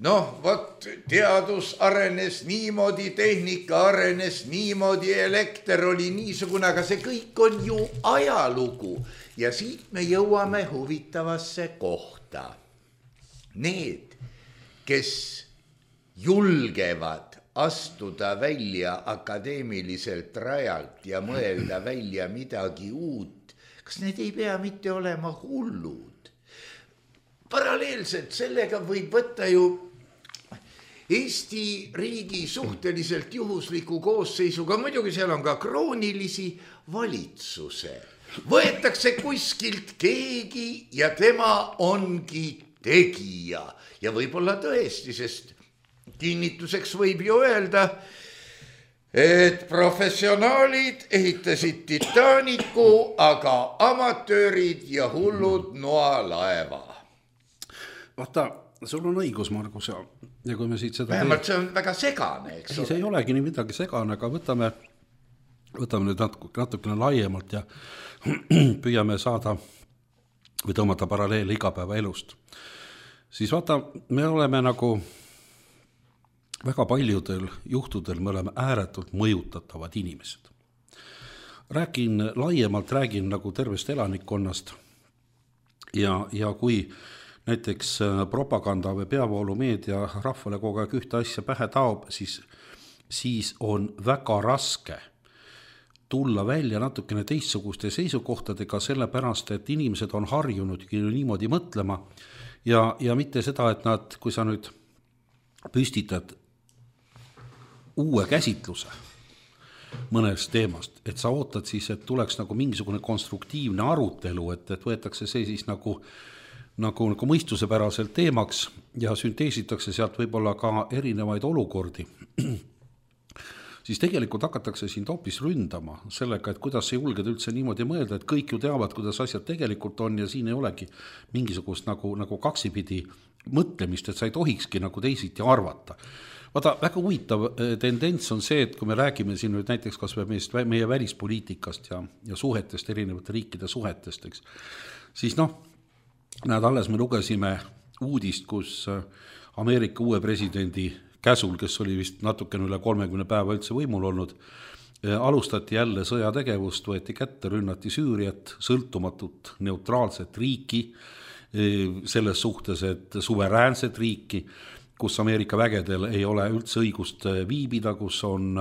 noh, vot teadus arenes niimoodi, tehnika arenes niimoodi, elekter oli niisugune, aga see kõik on ju ajalugu. Ja siit me jõuame huvitavasse kohta. Need, kes julgevad astuda välja akadeemiliselt rajalt ja mõelda välja midagi uut, kas need ei pea mitte olema hullud? Paralleelselt sellega võib võtta ju Eesti riigi suhteliselt juhusliku koosseisuga, muidugi seal on ka kroonilisi valitsuse. Võetakse kuskilt keegi ja tema ongi tegija. Ja võib-olla tõesti, sest kinnituseks võib ju öelda, et professionaalid ehitasid Titanicu, aga amatöörid ja hullud noalaeva. Vaata, sul on õigus, Margus, ja, ja kui me siit seda... Vähemalt see on väga segane, eks ole. See ei olegi nii midagi segane, aga võtame, võtame nüüd natuke, natukene laiemalt ja püüame saada või tõmmata paralleele igapäeva elust. Siis vaata, me oleme nagu väga paljudel juhtudel, me oleme ääretult mõjutatavad inimesed. Räägin laiemalt, räägin nagu tervest elanikkonnast ja, ja kui näiteks propaganda või peavoolumeedia rahvale kogu aeg ühte asja pähe taob, siis, siis on väga raske tulla välja natukene teistsuguste seisukohtadega, sellepärast, et inimesed on harjunud niimoodi mõtlema ja, ja mitte seda, et nad, kui sa nüüd püstitad uue käsitluse mõnest teemast, et sa ootad siis, et tuleks nagu mingisugune konstruktiivne arutelu, et, et võetakse see siis nagu Nagu, nagu mõistusepäraselt teemaks ja sünteesitakse sealt võib-olla ka erinevaid olukordi, siis tegelikult hakatakse sind hoopis ründama sellega, et kuidas sa julged üldse niimoodi mõelda, et kõik ju teavad, kuidas asjad tegelikult on ja siin ei olegi mingisugust nagu, nagu kaksipidi mõtlemist, et sa ei tohikski nagu teisiti arvata. Vaata, väga huvitav tendents on see, et kui me räägime siin nüüd näiteks kas meist, meie välispoliitikast ja, ja suhetest, erinevate riikide suhetest, eks, siis noh, näed, alles me lugesime uudist, kus Ameerika uue presidendi käsul, kes oli vist natukene üle kolmekümne päeva üldse võimul olnud, alustati jälle sõjategevust, võeti kätte, rünnati Süüriat, sõltumatut neutraalset riiki, selles suhtes, et suveräänset riiki, kus Ameerika vägedel ei ole üldse õigust viibida, kus, on,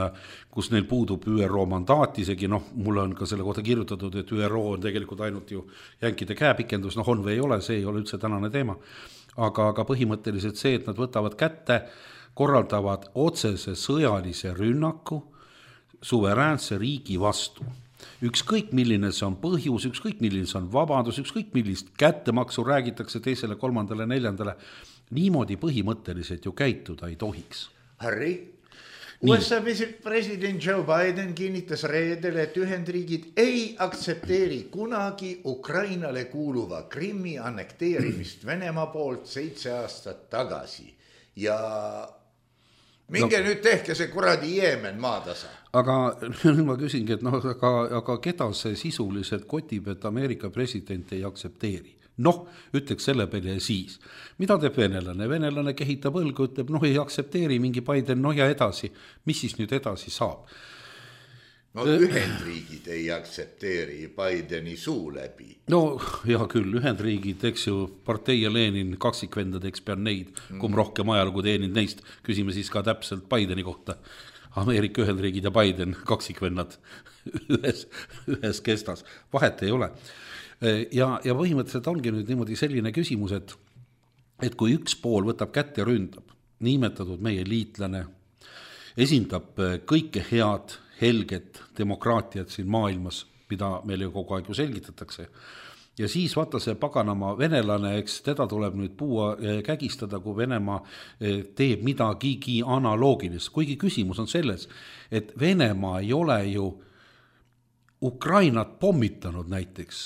kus neil puudub Ü R O mandaat, isegi noh, mulle on ka selle kohta kirjutatud, et Ü R O on tegelikult ainult ju jänkide käepikendus, noh on või ei ole, see ei ole üldse tänane teema, aga, aga põhimõtteliselt see, et nad võtavad kätte, korraldavad otsese sõjalise rünnaku suveräänse riigi vastu. Ükskõik milline see on põhjus, ükskõik milline see on vabandus, ükskõik millist kättemaksu räägitakse teisele, kolmandale, neljandale, niimoodi põhimõtteliselt ju käituda ei tohiks. Harry, U S A president Joe Biden kinnitas reedel, et Ühendriigid ei aktsepteeri kunagi Ukrainale kuuluva Krimmi annekteerimist Venemaa poolt seitse aastat tagasi ja minge no, nüüd tehke see kuradi Jeemen maatasa. Aga nüüd ma küsingi, et no, aga, aga keda see sisuliselt kotib, et Ameerika president ei aktsepteeri? Noh, ütleks selle peale ja siis. Mida teeb venelane? Venelane kehitab õlgu, ütleb, noh ei aktsepteeri mingi Biden, noh ja edasi. Mis siis nüüd edasi saab? No Ühendriigid ei aktsepteeri Bideni suu läbi. No hea küll, Ühendriigid, eks ju, partei ja Lenin kaksikvendadeks pean neid, kum rohkem ajalugu teenid neist, küsime siis ka täpselt Bideni kohta. Ameerika Ühendriigid ja Biden kaksikvennad ühes, ühes kestas, vahet ei ole. Ja, ja põhimõtteliselt ongi nüüd niimoodi selline küsimus, et, et kui üks pool võtab kätte ründab, niimetatud meie liitlane, esindab kõike head, helget demokraatiat siin maailmas, mida meil ju kogu aeg ju selgitatakse, ja siis vaata see paganama venelane, eks teda tuleb nüüd puua kägistada, kui Venemaa teeb midagigi analoogilist, kuigi küsimus on selles, et Venemaa ei ole ju Ukrainat pommitanud näiteks,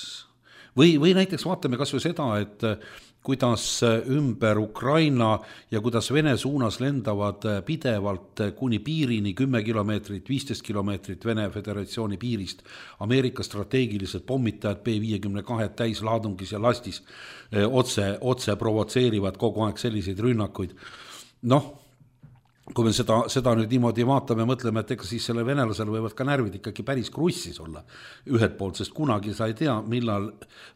või, või näiteks vaatame kas või seda, et kuidas ümber Ukraina ja kuidas Vene suunas lendavad pidevalt kuni piirini kümme kilomeetrit, viisteist kilomeetrit Vene Föderatsiooni piirist Ameerika strateegilised pommitajad B viiekümne kahe täislaadungis ja lastis otse, otse provotseerivad kogu aeg selliseid rünnakuid. Noh, kui me seda, seda nüüd niimoodi vaatame, mõtleme, et ega siis selle venelasel võivad ka närvid ikkagi päris krussis olla ühelt poolt, sest kunagi sa ei tea, millal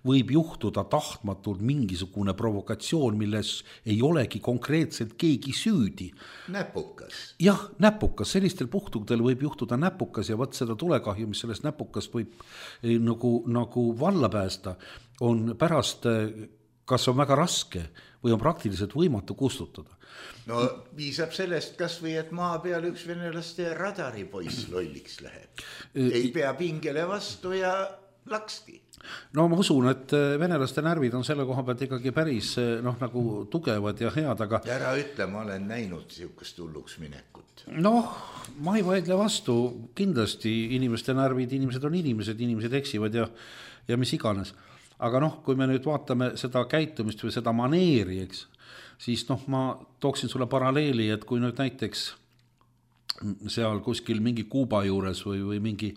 võib juhtuda tahtmatult mingisugune provokatsioon, milles ei olegi konkreetselt keegi süüdi. Näpukas. Jah, näpukas, sellistel puhtudel võib juhtuda näpukas ja võt seda tulekahju, mis sellest näpukas võib nagu, nagu valla päästa, on pärast, kas on väga raske või on praktiliselt võimatu kustutada. No piisab sellest kas või, et maa peal üks venelaste radaripoiss lolliks läheb. Ei pea pingele vastu ja lakski. No ma usun, et venelaste närvid on selle koha pealt ikkagi päris noh, nagu tugevad ja head, aga... Ära ütle, ma olen näinud siukest hulluks minekut. Noh, ma ei vaidle vastu. Kindlasti inimeste närvid, inimesed on inimesed, inimesed eksivad ja, ja mis iganes. Aga noh, kui me nüüd vaatame seda käitumist või seda maneeri, eks, siis noh, ma tooksin sulle paralleeli, et kui nüüd näiteks seal kuskil mingi Kuuba juures või, või mingi,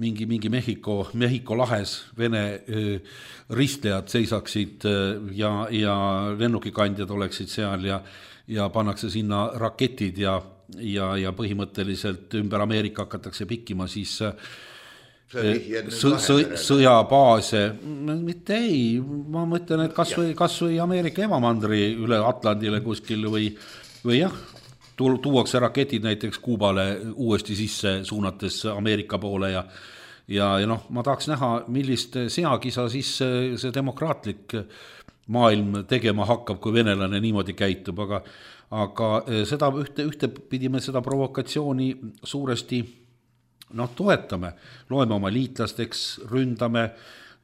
mingi, mingi Mehhiko, Mehhiko lahes Vene öö, ristlejad seisaksid ja, ja lennukikandjad oleksid seal ja, ja pannakse sinna raketid ja, ja, ja põhimõtteliselt ümber Ameerika hakatakse pikkima, siis sõjabaase, mitte ei, ma mõtlen, et kas või, kas või Ameerika emamandri üle Atlandile kuskil või, või jah, tuuakse raketid näiteks Kuubale uuesti sisse suunates Ameerika poole ja, ja, ja noh, ma tahaks näha, millist seakisa siis see demokraatlik maailm tegema hakkab, kui venelane niimoodi käitub, aga, aga seda ühte, ühte pidime seda provokatsiooni suuresti noh, toetame, loeme oma liitlasteks, ründame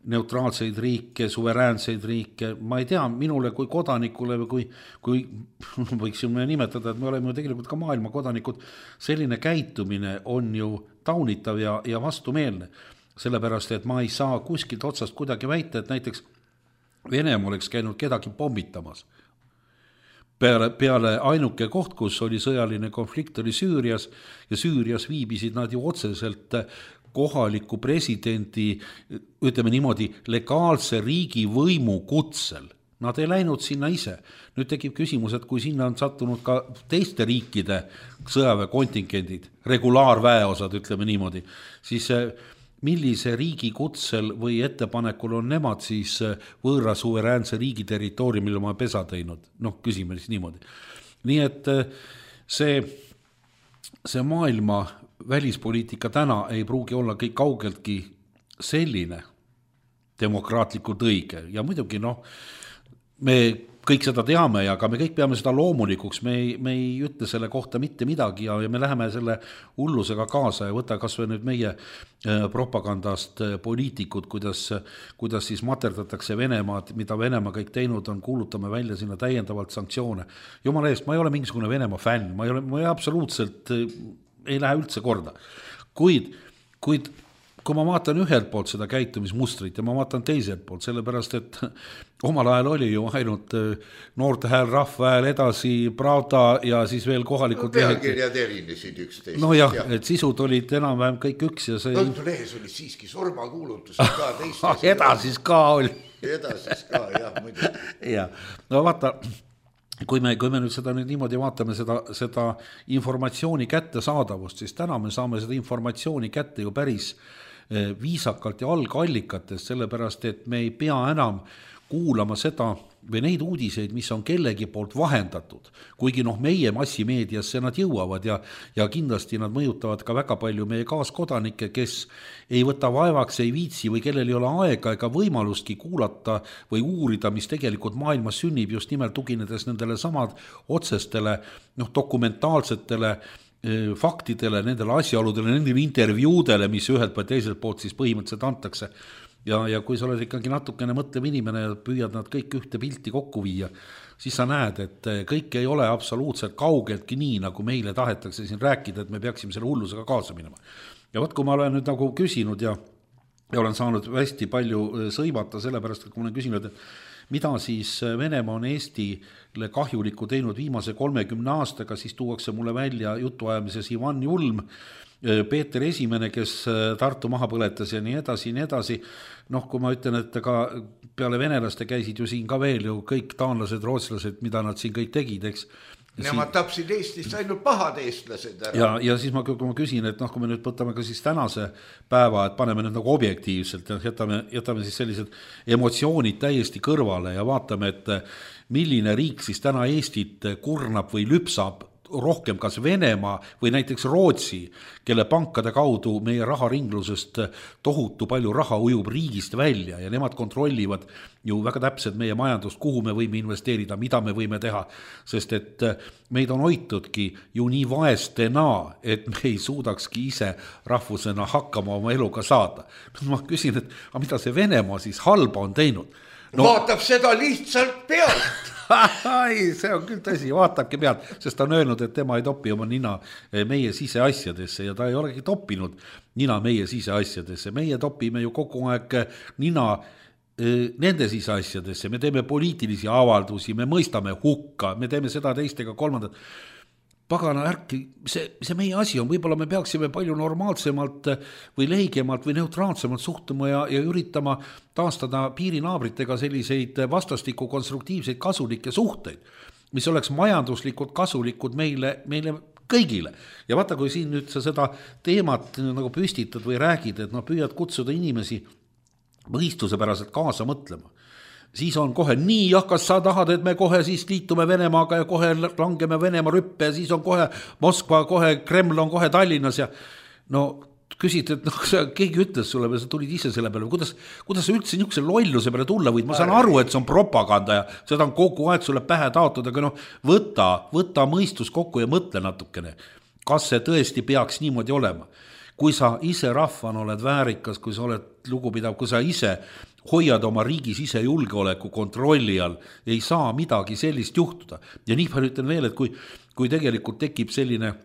neutraalseid riike, suveräänseid riike, ma ei tea, minule kui kodanikule või kui, kui võiksime nimetada, et me oleme ju tegelikult ka maailma kodanikud, selline käitumine on ju taunitav ja, ja vastumeelne, sellepärast, et ma ei saa kuskilt otsast kuidagi väita, et näiteks Venemaa oleks käinud kedagi pommitamas. Peale, peale ainuke koht, kus oli sõjaline konflikt, oli Süürias ja Süürias viibisid nad ju otseselt kohaliku presidendi, ütleme niimoodi, legaalse riigi võimu kutsel. Nad ei läinud sinna ise. Nüüd tekib küsimus, et kui sinna on sattunud ka teiste riikide sõjaväekontingendid, regulaarväeosad, ütleme niimoodi, siis millise riigi kutsel või ettepanekul on nemad siis võõra suveräänse riigi territooriumil oma pesa teinud? Noh, küsime siis niimoodi. Nii et see, see maailma välispoliitika täna ei pruugi olla kõik kaugeltki selline demokraatlikult õige. Ja muidugi, noh, me kõik seda teame ja ka me kõik peame seda loomulikuks, me ei, me ei ütle selle kohta mitte midagi ja, ja me läheme selle hullusega kaasa ja võta kas või nüüd meie propagandast poliitikud, kuidas, kuidas siis materdatakse Venemaad, mida Venemaa kõik teinud on, kuulutame välja sinna täiendavalt sanktsioone. Jumala eest, ma ei ole mingisugune Venemaa fänn, ma ei ole, ma ei absoluutselt ei lähe üldse korda. Kuid, kuid kui ma vaatan ühelt poolt seda käitumismustrit ja ma vaatan teiselt poolt, sellepärast, et omal ajal oli ju ainult noorte hääl, rahva hääl edasi, Pravda ja siis veel kohalikud... No, pealkirjad erinesid üksteist. No jah, ja. Et sisud olid enam-vähem kõik üks ja see... Õhtulehes oli siiski surmakuulutus ka teistes. Edasis ka oli. Edasis ka, jah, muidu. Ja, no vaata... Kui me, kui me nüüd seda nüüd niimoodi vaatame seda, seda informatsiooni kättesaadavust, siis täna me saame seda informatsiooni kätte ju päris viisakalt ja algallikatest, sellepärast, et me ei pea enam kuulama seda või neid uudiseid, mis on kellegi poolt vahendatud, kuigi noh, meie massimeediasse nad jõuavad ja, ja kindlasti nad mõjutavad ka väga palju meie kaaskodanikke, kes ei võta vaevaks, ei viitsi või kellel ei ole aega ega võimalustki kuulata või uurida, mis tegelikult maailmas sünnib, just nimelt tuginedes nendele samad otsestele noh, dokumentaalsetele faktidele, nendele asjaoludele, nendele intervjuudele, mis ühelt või teiselt poolt siis põhimõtteliselt antakse. Ja, ja kui sa oled ikkagi natukene mõtlev inimene ja püüad nad kõik ühte pilti kokku viia, siis sa näed, et kõik ei ole absoluutselt kaugeltki nii, nagu meile tahetakse siin rääkida, et me peaksime selle hullusega kaasa minema. Ja võt, kui ma olen nüüd nagu küsinud ja ja olen saanud hästi palju sõimata sellepärast, et kui ma olen küsinud, et mida siis Venemaa on Eestile kahjulikku teinud viimase kolmekümne aastaga, siis tuuakse mulle välja jutuajamises Ivan Julm, Peeter Esimene, kes Tartu maha põletas ja nii edasi, nii edasi. Noh, kui ma ütlen, et ka peale venelaste käisid ju siin ka veel ju kõik taanlased, rootslased, mida nad siin kõik tegid, eks. Nemad tapsid Eestist ainult pahad eestlased ära. Ja, ja siis ma, kui ma küsin, et noh, kui me nüüd võtame ka siis tänase päeva, et paneme nüüd nagu objektiivselt ja jätame, jätame siis sellised emotsioonid täiesti kõrvale ja vaatame, et milline riik siis täna Eestit kurnab või lüpsab rohkem kas Venemaa või näiteks Rootsi, kelle pankade kaudu meie raharinglusest tohutu palju raha ujub riigist välja ja nemad kontrollivad ju väga täpselt meie majandust, kuhu me võime investeerida, mida me võime teha, sest et meid on hoitudki ju nii vaestena, et me ei suudakski ise rahvusena hakkama oma eluga saada. Ma küsin, et aga mida see Venemaa siis halba on teinud? No, vaatab seda lihtsalt pealt. Ai, see on küll tõsi, vaatabki pealt, sest ta on öelnud, et tema ei topi oma nina meie siseasjadesse ja ta ei olegi toppinud nina meie siseasjadesse. Meie topime ju kogu aeg nina nende siseasjadesse, me teeme poliitilisi avaldusi, me mõistame hukka, me teeme seda teistega kolmandat. Pagana ärki, see, see meie asi on, võib-olla me peaksime palju normaalsemalt või leigemalt või neutraalsemalt suhtuma ja, ja üritama taastada piirinaabritega selliseid vastastikku konstruktiivseid kasulikke suhteid, mis oleks majanduslikult kasulikud meile, meile kõigile. Ja vaata, kui siin nüüd sa seda teemat nagu püstitad või räägid, et no püüad kutsuda inimesi mõistuspäraselt kaasa mõtlema, siis on kohe nii, jah, kas sa tahad, et me kohe siis liitume Venemaaga ja kohe langeme Venemaa rüppe ja siis on kohe Moskva, kohe Kreml on kohe Tallinnas ja no küsid, et noh, keegi ütles sulle või sa tulid ise selle peale, kuidas, kuidas sa üldse niisuguse lolluse peale tulla võid, ma saan aru, et see on propaganda ja seda on kogu aeg sulle pähe taotud, aga noh, võta, võta mõistus kokku ja mõtle natukene, kas see tõesti peaks niimoodi olema. Kui sa ise rahvana oled väärikas, kui sa oled lugupidav, kui sa ise hoiad oma riigis ise julgeoleku kontrolli all, ei saa midagi sellist juhtuda. Ja nii palju ütlen veel, et kui, kui tegelikult tekib selline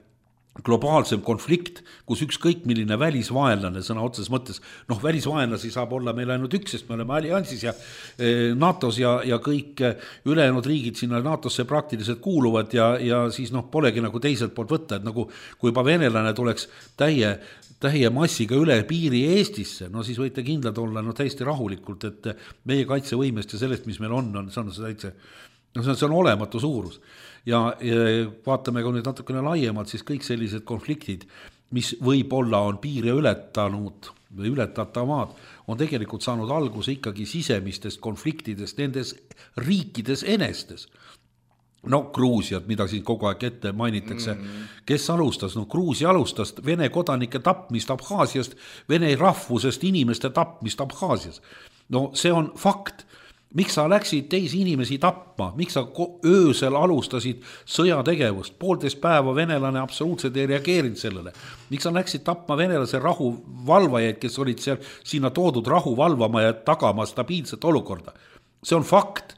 globaalsem konflikt, kus ükskõik milline välisvaenlane sõna otses mõttes, noh välisvaenlasi saab olla meil ainult üks, sest me oleme alliansis ja NATOs ja, ja kõik ülejäänud riigid sinna NATOsse praktiliselt kuuluvad ja, ja siis noh, polegi nagu teiselt poolt võtta, et nagu kui juba venelane tuleks täie, täie massiga üle piiri Eestisse, no siis võite kindlad olla no täiesti rahulikult, et meie kaitsevõimest ja sellest, mis meil on, on see on see täitsa, no see on, see on olematu suurus. Ja, ja vaatame ka nüüd natukene laiemalt, siis kõik sellised konfliktid, mis võib-olla on piire ületanud või ületatavad, on tegelikult saanud alguse ikkagi sisemistest konfliktidest nendes riikides enestes. No Gruusiat, mida siin kogu aeg ette mainitakse, mm. kes alustas? No Gruusia alustas Vene kodanike tapmist Abhaasiast, Vene rahvusest inimeste tapmist Abhaasias. No see on fakt. Miks sa läksid teisi inimesi tapma? Miks sa öösel alustasid sõjategevust? Poolteist päeva venelane absoluutselt ei reageerinud sellele. Miks sa läksid tapma venelase rahuvalvajaid, kes olid seal sinna toodud rahu valvama ja tagama stabiilset olukorda? See on fakt.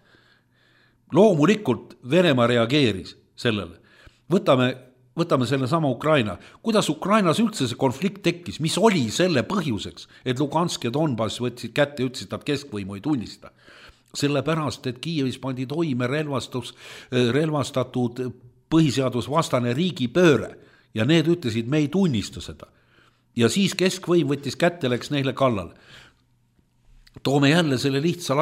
Loomulikult Venemaa reageeris sellele. Võtame, võtame selle sama Ukraina. Kuidas Ukrainas üldse see konflikt tekkis? Mis oli selle põhjuseks, et Lugansk ja Donbass võtsid kätte ja ütlesid, et keskvõimu ei tunnista? Sellepärast, et Kiievis pandi toime relvastus, relvastatud põhiseadusvastane riigipööre ja need ütlesid, me ei tunnista seda. Ja siis keskvõim võttis kätte, läks neile kallale. Toome jälle selle lihtsa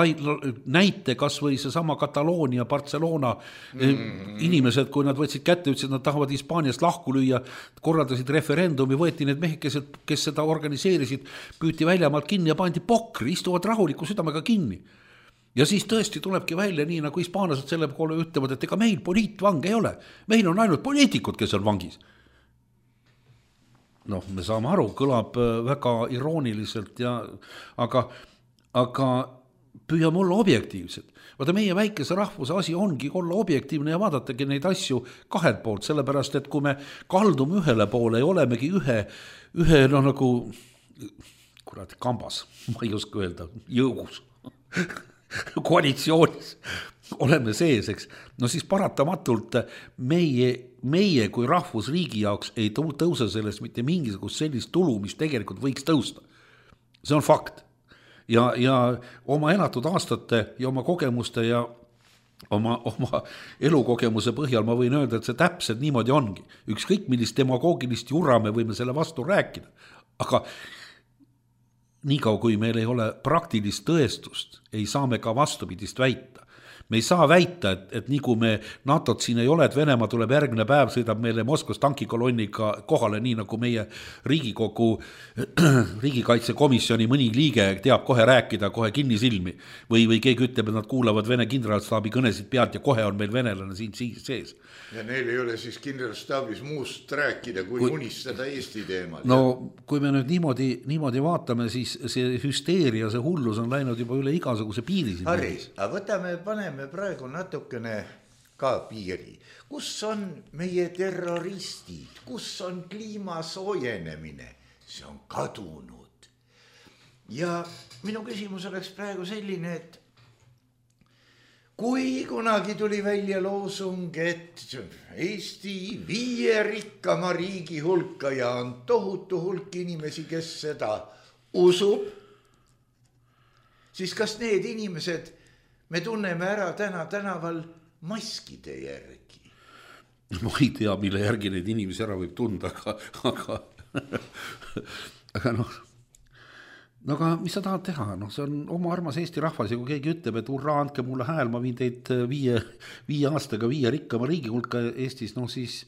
näite, kas või see sama Kataloonia, Barcelona mm. inimesed, kui nad võtsid kätte, ütlesid, nad tahavad Hispaaniast lahku lüüa, korraldasid referendumi, võeti need mehikesed, kes seda organiseerisid, püüti väljamaalt kinni ja pandi pokri, istuvad rahuliku südamega kinni. Ja siis tõesti tulebki välja nii, nagu hispaanlased selle poole ütlevad, et ega meil poliitvang ei ole. Meil on ainult poliitikud, kes on vangis. Noh, me saame aru, kõlab väga irooniliselt, ja, aga, aga püüame olla objektiivsed. Vaata, meie väikese rahvuse asi ongi olla objektiivne ja vaadatagi neid asju kahelt poolt, sellepärast, et kui me kaldume ühele poole ja olemegi ühe, ühe no nagu, kurat, kambas, ma ei oska öelda, jõugus, koalitsioonis oleme sees, eks. No siis paratamatult meie, meie kui rahvusriigi jaoks ei tõuse sellest mitte mingisugust sellist tulu, mis tegelikult võiks tõusta. see on fakt. Ja, ja oma elatud aastate ja oma kogemuste ja oma, oma elukogemuse põhjal ma võin öelda, et see täpselt niimoodi ongi. Ükskõik millist demagoogilist jura me võime selle vastu rääkida, aga niikaua kui meil ei ole praktilist tõestust, ei saa me ka vastupidist väita. Me ei saa väita, et, et nii kui me NATOt siin ei ole, et Venemaa tuleb järgmine päev, sõidab meile Moskvas tankikolonniga kohale, nii nagu meie Riigikogu riigikaitsekomisjoni mõni liige teab kohe rääkida, kohe kinnisilmi. Või, või keegi ütleb, et nad kuulavad Vene kindralstaabi kõnesid pealt ja kohe on meil venelane siin sees. Ja neil ei ole siis kindralstaabis muust rääkida, kui, kui unistada Eesti teemal. No kui me nüüd niimoodi, niimoodi vaatame, siis see hüsteeria, see hullus on läinud juba üle igasuguse piiri. Harri, aga võtame, paneme praegu natukene ka piiri. Kus on meie terroristid? Kus on kliima soojenemine? See on kadunud. Ja minu küsimus oleks praegu selline, et kui kunagi tuli välja loosung, et Eesti viie rikkama riigi hulka ja on tohutu hulk inimesi, kes seda usub, siis kas need inimesed me tunneme ära täna tänaval maskide järgi? Ma ei tea, mille järgi neid inimesi ära võib tunda, aga, aga, aga noh, no aga mis sa tahad teha? No see on oma armas Eesti rahvas ja kui keegi ütleb, et urra, andke mulle hääl, ma viin teid viie, viie aastaga viie rikkama riigi hulka Eestis, no siis,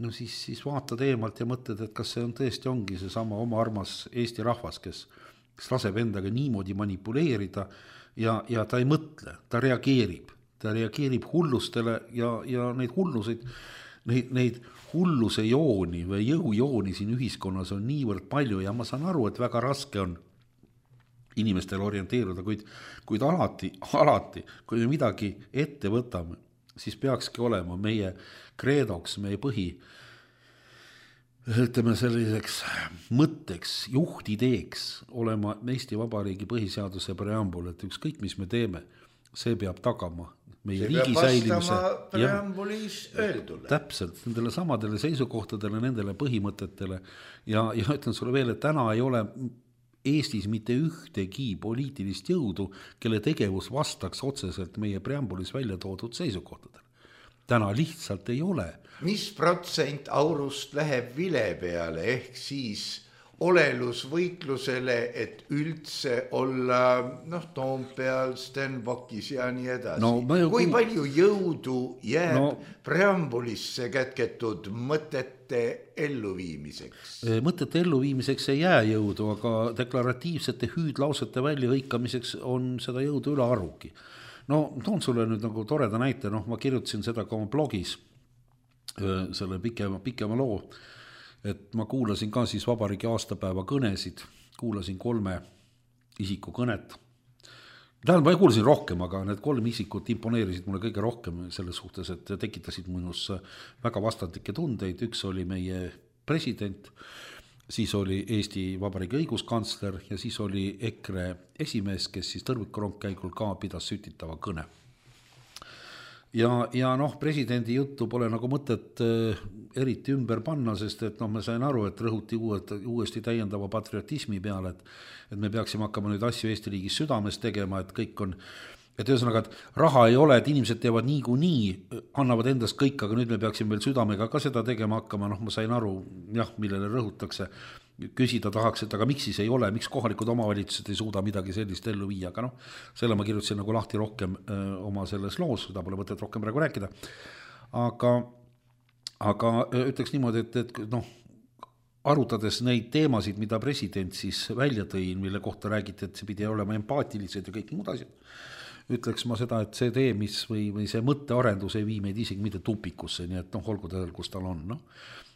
no siis, siis vaatad eemalt ja mõtled, et kas see on tõesti ongi see sama oma armas Eesti rahvas, kes, kes laseb endaga niimoodi manipuleerida ja, ja ta ei mõtle, ta reageerib, ta reageerib hullustele ja, ja neid hulluseid, neid, neid hulluse jooni või jõujooni siin ühiskonnas on niivõrd palju ja ma saan aru, et väga raske on inimestel orienteeruda, kuid, kuid alati, alati, kui me midagi ette võtame, siis peakski olema meie kreedoks, meie põhi, ütleme selliseks mõtteks, juhtideeks olema Eesti Vabariigi põhiseaduse preambul, et ükskõik, mis me teeme, see peab tagama meie see riigi säilimise. preambulis öeldule. Täpselt, nendele samadele seisukohtadele, nendele põhimõtetele ja, ja ütlen sulle veel, et täna ei ole Eestis mitte ühtegi poliitilist jõudu, kelle tegevus vastaks otseselt meie preambulis välja toodud seisukohtadele. Täna lihtsalt ei ole. Mis protsent aurust läheb vile peale ehk siis olelusvõitlusele, et üldse olla noh, Toompeal, Stenbockis ja nii edasi. No, ju, kui palju jõudu jääb no, preambulisse kätketud mõtete elluviimiseks? Mõtete elluviimiseks ei jää jõudu, aga deklaratiivsete hüüdlausete väljahõikamiseks on seda jõudu üle arvugi. No toon sulle nüüd nagu toreda näite, noh ma kirjutasin seda ka oma blogis, selle pikema, pikema loo, et ma kuulasin ka siis vabariigi aastapäeva kõnesid, kuulasin kolme isiku kõnet. Tähendab, ma kuulasin rohkem, aga need kolm isikut imponeerisid mulle kõige rohkem selles suhtes, et tekitasid minus väga vastandlikke tundeid. Üks oli meie president, siis oli Eesti Vabariigi õiguskantsler ja siis oli EKRE esimees, kes siis tõrvikurongkäigul ka pidas sütitava kõne. Ja, ja noh, presidendi juttu pole nagu mõtet äh, eriti ümber panna, sest et noh, me sain aru, et rõhuti uued, uuesti täiendava patriotismi peale, et, et me peaksime hakkama nüüd asju Eesti riigis südames tegema, et kõik on, et ühesõnaga, et raha ei ole, et inimesed teevad nii kui nii, annavad endast kõik, aga nüüd me peaksime veel südamega ka seda tegema hakkama, noh, ma sain aru, jah, millele rõhutakse, küsida tahaks, et aga miks siis ei ole, miks kohalikud omavalitsused ei suuda midagi sellist ellu viia, aga noh, selle ma kirjutasin nagu lahti rohkem öö, oma selles loos, seda pole mõtet rohkem praegu rääkida, aga, aga ütleks niimoodi, et, et noh, arutades neid teemasid, mida president siis välja tõi, mille kohta räägiti, et see pidi olema empaatilised ja kõik muud asjad, ütleks ma seda, et see tee, mis või, või see mõttearendus ei vii meid isegi mitte tupikusse, nii et noh, olgu ta, kus tal on, noh.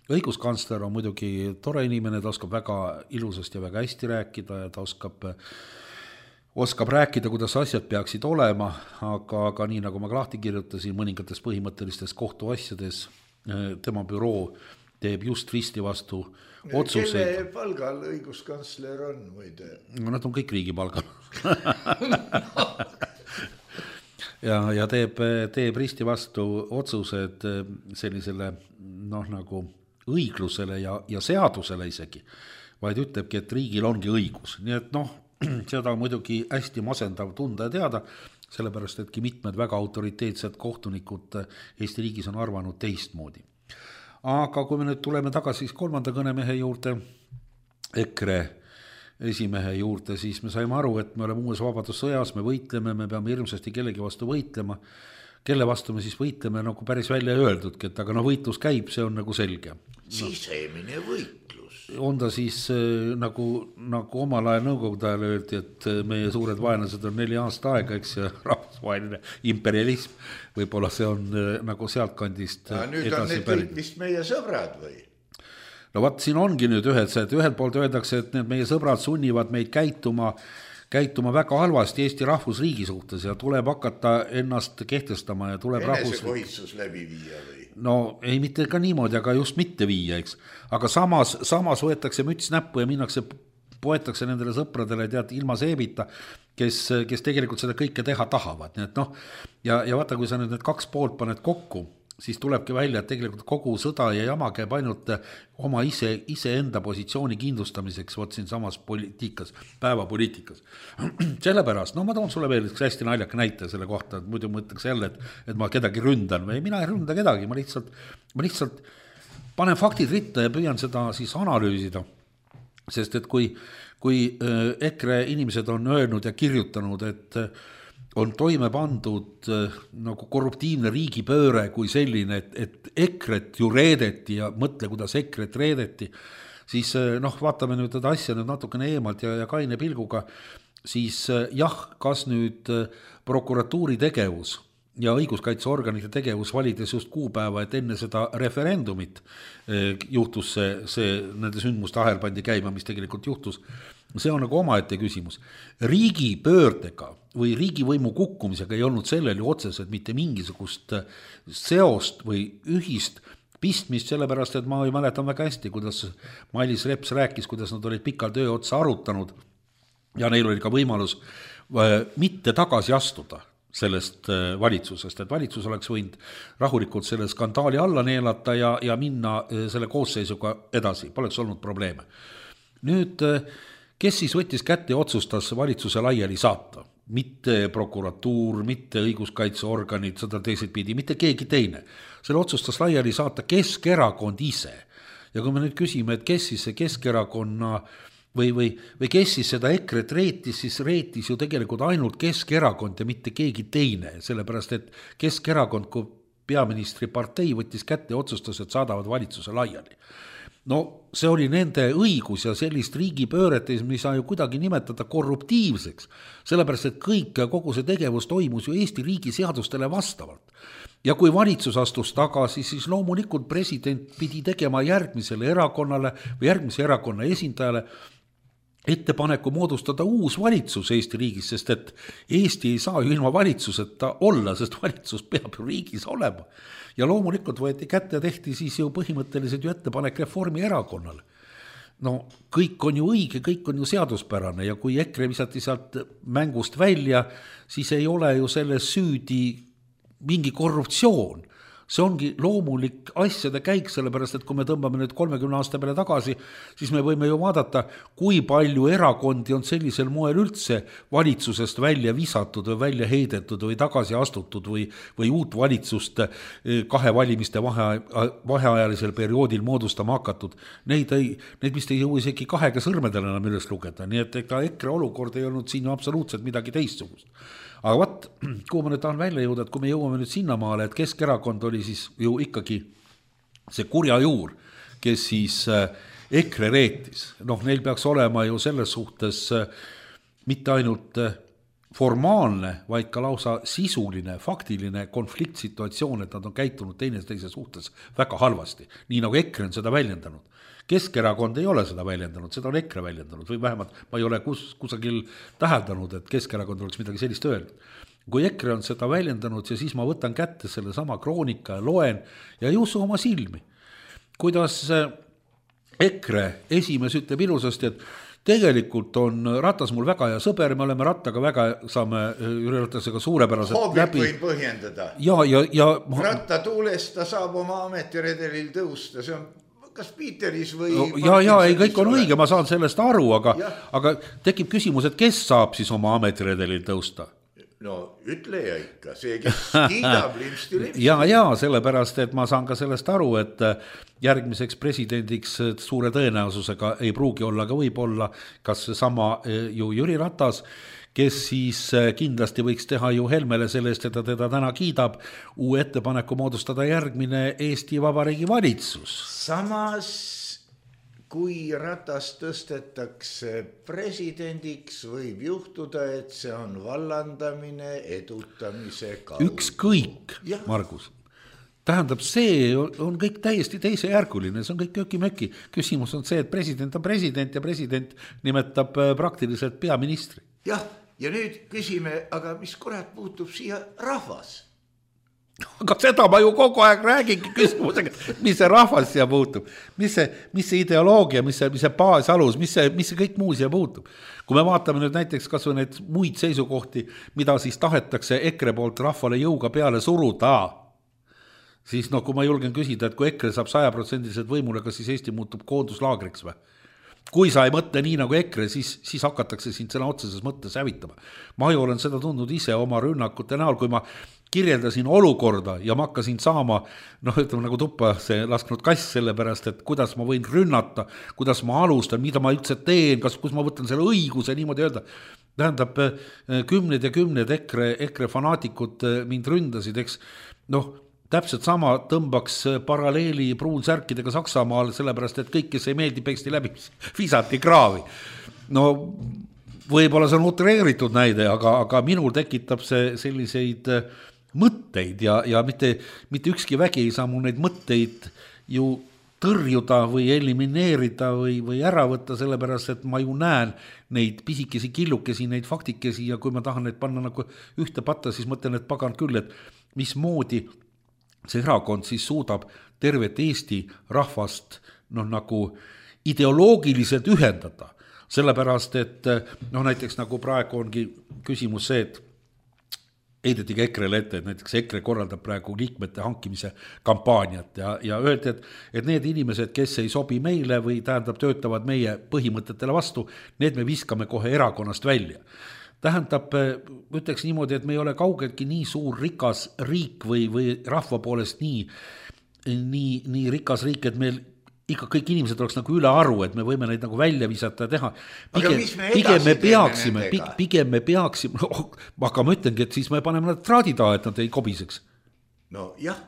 Õiguskantsler on muidugi tore inimene, ta oskab väga ilusasti ja väga hästi rääkida ja ta oskab, oskab rääkida, kuidas asjad peaksid olema, aga, aga nii nagu ma lahti kirjutasin mõningates põhimõttelistes kohtuasjades, tema büroo teeb just risti vastu otsuseid. Kelle palgal õiguskantsler on muide? No nad on kõik riigi palgal. ja, ja teeb, teeb risti vastu otsused sellisele noh nagu õiglusele ja, ja seadusele isegi vaid ütlebki, et riigil ongi õigus. Nii et noh, seda on muidugi hästi masendav tunda ja teada, sellepärast etki mitmed väga autoriteetsed kohtunikud Eesti riigis on arvanud teistmoodi. Aga kui me nüüd tuleme tagasi siis kolmanda kõnemehe juurde, EKRE esimehe juurde, siis me saime aru, et me oleme uues vabadussõjas, me võitleme, me peame hirmsasti kellegi vastu võitlema. Kelle vastu me siis võitleme, nagu päris välja öeldudki, et aga no võitlus käib, see on nagu selge. Sisemine võitlus. On ta siis nagu, nagu omal ajal nõukogude ajal öeldi, et meie suured vaenlased on neli aasta aega, eks ja rahvusvaheline imperialism, võib-olla see on nagu sealt kandist ja nüüd on need kõik vist meie sõbrad või? No vaat siin ongi nüüd ühed, et ühelt poolt öeldakse, et need meie sõbrad sunnivad meid käituma käituma väga halvasti Eesti rahvusriigi suhtes ja tuleb hakata ennast kehtestama ja tuleb rahvus... Enesekohitsus läbi viia või? No ei mitte ka niimoodi, aga just mitte viia, eks. Aga samas, samas võetakse müts näppu ja minnakse, poetakse nendele sõpradele tead ilma seebita, kes, kes tegelikult seda kõike teha tahavad. Nii et noh, ja, ja vaata, kui sa nüüd need kaks poolt paned kokku, siis tulebki välja, et tegelikult kogu sõda ja jama käib ainult oma ise, ise enda positsiooni kindlustamiseks võt siin samas poliitikas, päevapoliitikas. Sellepärast, no ma toon sulle veel üks hästi naljaka näite selle kohta, et muidu mõtleks jälle, et, et ma kedagi ründan või mina ei ründa kedagi, ma lihtsalt, ma lihtsalt panen faktid ritta ja püüan seda siis analüüsida, sest et kui, kui EKRE inimesed on öelnud ja kirjutanud, et on toime pandud nagu korruptiivne riigipööre kui selline, et, et EKRE-t ju reedeti ja mõtle, kuidas EKRE-t reedeti, siis noh, vaatame nüüd seda asja nüüd natukene eemalt ja, ja kaine pilguga, siis jah, kas nüüd prokuratuuri tegevus ja õiguskaitseorganite tegevus valides just kuupäeva, et enne seda referendumit juhtus see, see nende sündmuste ahel pandi käima, mis tegelikult juhtus, see on nagu omaette küsimus. Riigi pöördega või riigivõimu kukkumisega ei olnud sellel ju otseselt mitte mingisugust seost või ühist pistmist, sellepärast, et ma ei mäletan väga hästi, kuidas Mailis Reps rääkis, kuidas nad olid pikalt öö otsa arutanud ja neil oli ka võimalus mitte tagasi astuda sellest valitsusest, et valitsus oleks võinud rahulikult selle skandaali alla neelata ja, ja minna selle koosseisuga edasi, poleks olnud probleeme. Nüüd, kes siis võttis kätte ja otsustas valitsuse laiali saata? Mitte prokuratuur, mitte õiguskaitseorganid, seda teiselt pidi, mitte keegi teine. Selle otsustas laiali saata Keskerakond ise. Ja kui me nüüd küsime, et kes siis see Keskerakonna või, või, või kes siis seda EKRE-t reetis, siis reetis ju tegelikult ainult Keskerakond ja mitte keegi teine, sellepärast et Keskerakond kui peaministri partei võttis kätte ja otsustas, et saadavad valitsuse laiali. No see oli nende õigus ja sellist riigipööret, mis saa ju kuidagi nimetada korruptiivseks, sellepärast et kõik ja kogu see tegevus toimus ju Eesti riigi seadustele vastavalt. Ja kui valitsus astus tagasi, siis loomulikult president pidi tegema järgmisele erakonnale või järgmise erakonna esindajale ettepaneku moodustada uus valitsus Eesti riigis, sest et Eesti ei saa ju ilma valitsuseta olla, sest valitsus peab ju riigis olema. Ja loomulikult võeti kätte ja tehti siis ju põhimõtteliselt ju ettepanek Reformierakonnale. No kõik on ju õige, kõik on ju seaduspärane ja kui EKRE visati sealt mängust välja, siis ei ole ju selles süüdi mingi korruptsioon. See ongi loomulik asjade käik, sellepärast, et kui me tõmbame nüüd kolmekümne aasta peale tagasi, siis me võime ju vaadata, kui palju erakondi on sellisel moel üldse valitsusest välja visatud või välja heidetud või tagasi astutud või, või uut valitsust kahe valimiste vahe, vaheajalisel perioodil moodustama hakatud. Neid, ei, neid vist ei jõu isegi kahega sõrmedel enam üles lugeda, nii et ega EKRE olukord ei olnud siin ju absoluutselt midagi teistsugust. Aga vaat, kuhu ma nüüd tahan välja jõuda, et kui me jõuame nüüd sinnamaale, et Keskerakond oli siis ju ikkagi see kurja juur, kes siis EKRE reetis. Noh, neil peaks olema ju selles suhtes mitte ainult formaalne, vaid ka lausa sisuline, faktiline konfliktsituatsioon, et nad on käitunud teine teise suhtes väga halvasti, nii nagu EKRE on seda väljendanud. Keskerakond ei ole seda väljendanud, seda on EKRE väljendanud või vähemalt ma ei ole kus, kusagil täheldanud, et Keskerakond oleks midagi sellist öelnud. Kui EKRE on seda väljendanud ja siis ma võtan kätte selle sama kroonika ja loen ja ei usu oma silmi. Kuidas EKRE esimees ütleb ilusasti, et tegelikult on Ratas mul väga hea sõber, me oleme Rattaga väga, saame Ratasega suurepäraselt Hoobit läbi. Hoobit võib põhjendada. Ja, ja, ja, Ratta tuulest ta saab oma ametiredelil tõusta, see on kas Piiteris või no, ja, ja ei, kõik on õige, ma saan sellest aru, aga, aga tekib küsimus, et kes saab siis oma ametiredelil tõusta? No ütle ja ikka, see, kes kiidab limpsti limpsti. Ja, ja sellepärast, et ma saan ka sellest aru, et järgmiseks presidendiks suure tõenäosusega ei pruugi olla, aga võib olla kas sama ju Jüri Ratas, kes siis kindlasti võiks teha ju Helmele selle eest, et ta teda täna kiidab, uue ettepaneku moodustada järgmine Eesti Vabariigi valitsus. Samas kui Ratas tõstetakse presidendiks, võib juhtuda, et see on vallandamine edutamise kaudu. Ükskõik, Margus. Tähendab, see on kõik täiesti teisejärguline, see on kõik köki-möki. Küsimus on see, et president on president ja president nimetab praktiliselt peaministri. Jah, ja nüüd küsime, aga mis kurat puutub siia rahvas? Aga seda ma ju kogu aeg räägingi küsimusega, mis see rahvas siia puutub, mis see, mis see ideoloogia, mis see, mis see baasalus, mis see, mis see kõik muu siia puutub. Kui me vaatame nüüd näiteks kas või neid muid seisukohti, mida siis tahetakse EKRE poolt rahvale jõuga peale suruda, siis no kui ma julgen küsida, et kui EKRE saab saja protsendiliselt võimule, kas siis Eesti muutub koonduslaagriks või? Kui sa ei mõtle nii nagu EKRE, siis, siis hakatakse sind sõna otseses mõttes hävitama. Ma ju olen seda tundnud ise oma rünnakute näol, kui ma kirjeldasin olukorda ja ma hakkasin saama, noh ütleme nagu tuppa see lasknud kass selle pärast, et kuidas ma võin rünnata, kuidas ma alustan, mida ma üldse teen, kas, kus ma võtan selle õiguse niimoodi öelda. Tähendab, kümned ja kümned EKRE, EKRE fanaatikud mind ründasid, eks, noh, täpselt sama tõmbaks paralleeli pruunsärkidega Saksamaal, sellepärast, et kõik, kes ei meeldi, peksti läbi, visati kraavi. No võib-olla see on utreeritud näide, aga, aga minul tekitab see selliseid mõtteid ja, ja mitte, mitte ükski vägi ei saa mul neid mõtteid ju tõrjuda või elimineerida või, või ära võtta, sellepärast, et ma ju näen neid pisikesi killukesi, neid faktikesi ja kui ma tahan neid panna nagu ühte patta, siis mõtlen, et pagan küll, et mismoodi see erakond siis suudab tervet Eesti rahvast noh, nagu ideoloogiliselt ühendada. Sellepärast, et noh, näiteks nagu praegu ongi küsimus see, et heideti ka EKRE-le ette, et näiteks EKRE korraldab praegu liikmete hankimise kampaaniat ja, ja öeldi, et, et need inimesed, kes ei sobi meile või tähendab töötavad meie põhimõtetele vastu, need me viskame kohe erakonnast välja. Tähendab, ütleks niimoodi, et me ei ole kaugeltki nii suur rikas riik või, või rahva poolest nii, nii, nii rikas riik, et meil ikka kõik inimesed oleks nagu üle aru, et me võime neid nagu välja visata ja teha. Pigem, me, pigem me peaksime, pigem me peaksime, no, aga ma ütlengi, et siis me paneme nad traadi taha, et nad ei kobiseks. No jah.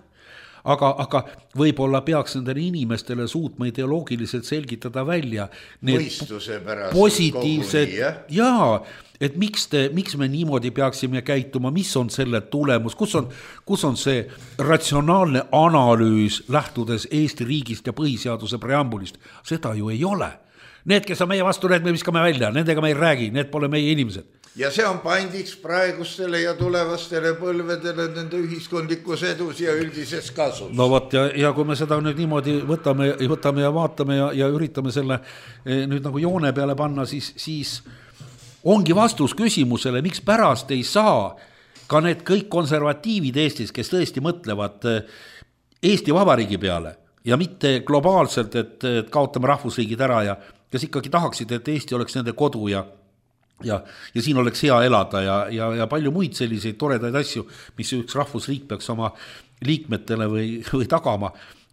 Aga, aga võib-olla peaks nendele inimestele suutma ideoloogiliselt selgitada välja mõistuse pärast positiivsed, jaa, et miks, te, miks me niimoodi peaksime käituma, mis on selle tulemus, kus on, kus on see ratsionaalne analüüs lähtudes Eesti riigist ja põhiseaduse preambulist, seda ju ei ole. Need, kes on meie vastu, need me viskame välja, nendega me ei räägi, need pole meie inimesed. Ja see on pandiks praegustele ja tulevastele põlvedele nende ühiskondlikus edus ja üldises kasus. No võt, ja, ja kui me seda nüüd niimoodi võtame, võtame ja vaatame ja, ja üritame selle nüüd nagu joone peale panna, siis, siis ongi vastus küsimusele, miks pärast ei saa ka need kõik konservatiivid Eestis, kes tõesti mõtlevad Eesti Vabariigi peale ja mitte globaalselt, et, et kaotame rahvusriigid ära ja kes ikkagi tahaksid, et Eesti oleks nende kodu ja Ja, ja siin oleks hea elada ja, ja, ja palju muid selliseid toredaid asju, mis üks rahvusriik peaks oma liikmetele või, või tagama.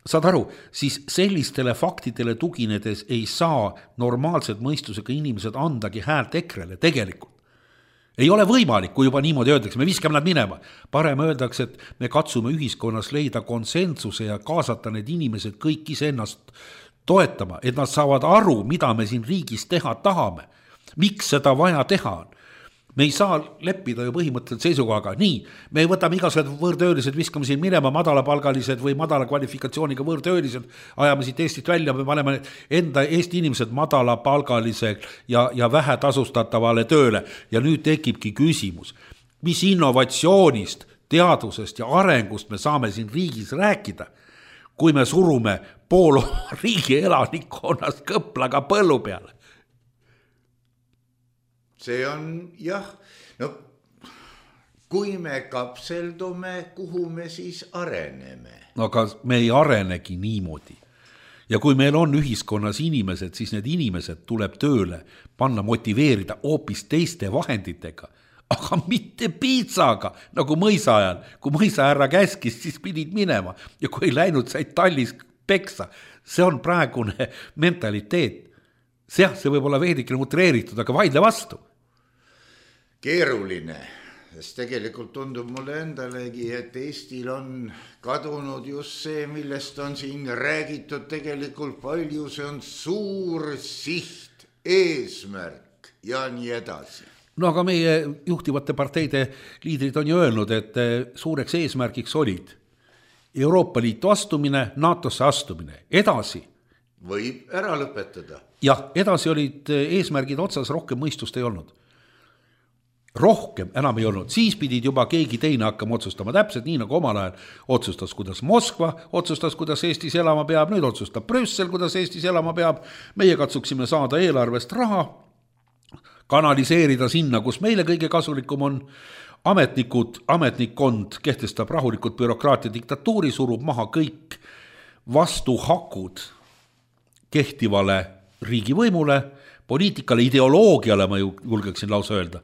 Saad aru, siis sellistele faktidele tuginedes ei saa normaalselt mõistusega inimesed andagi häält EKRE-le tegelikult. Ei ole võimalik, kui juba niimoodi öeldakse, me viskame nad minema. Parem öeldakse, et me katsume ühiskonnas leida konsensuse ja kaasata need inimesed kõik iseennast toetama, et nad saavad aru, mida me siin riigis teha tahame. Miks seda vaja teha on? Me ei saa leppida ju põhimõtteliselt seisukohaga. Nii, me võtame igasugused võõrtöölised, viskame siin minema madalapalgalised või madala kvalifikatsiooniga võõrtöölised, ajame siit Eestist välja, me paneme enda Eesti inimesed madalapalgalise ja, ja vähe tasustatavale tööle. Ja nüüd tekibki küsimus, mis innovatsioonist, teadusest ja arengust me saame siin riigis rääkida, kui me surume pool riigi elanikkonnast kõplaga põllu peale. See on, jah, no kui me kapseldume, kuhu me siis areneme? No aga me ei arenegi niimoodi. ja kui meil on ühiskonnas inimesed, siis need inimesed tuleb tööle panna, motiveerida hoopis teiste vahenditega, aga mitte piitsaga, nagu mõisa ajal. Kui mõisa härra käskis, siis pidid minema ja kui ei läinud, said tallis peksa. See on praegune mentaliteet. See, see võib olla veidikene utreeritud, aga vaidle vastu. Keeruline, sest tegelikult tundub mulle endalegi, et Eestil on kadunud just see, millest on siin räägitud tegelikult palju, see on suur siht, eesmärk ja nii edasi. No aga meie juhtivate parteide liidrid on ju öelnud, et suureks eesmärgiks olid Euroopa Liitu astumine, NATOsse astumine, edasi. Võib ära lõpetada. Jah, edasi olid eesmärgid otsas, rohkem mõistust ei olnud. Rohkem enam ei olnud, siis pidid juba keegi teine hakkama otsustama, täpselt nii nagu omal ajal otsustas, kuidas Moskva otsustas, kuidas Eestis elama peab, nüüd otsustab Brüssel, kuidas Eestis elama peab, meie katsuksime saada eelarvest raha, kanaliseerida sinna, kus meile kõige kasulikum on, ametnikud, ametnikkond kehtestab rahulikult bürokraatia diktatuuri, surub maha kõik vastuhakud kehtivale riigivõimule, poliitikale, ideoloogiale, ma julgeksin lausa öelda.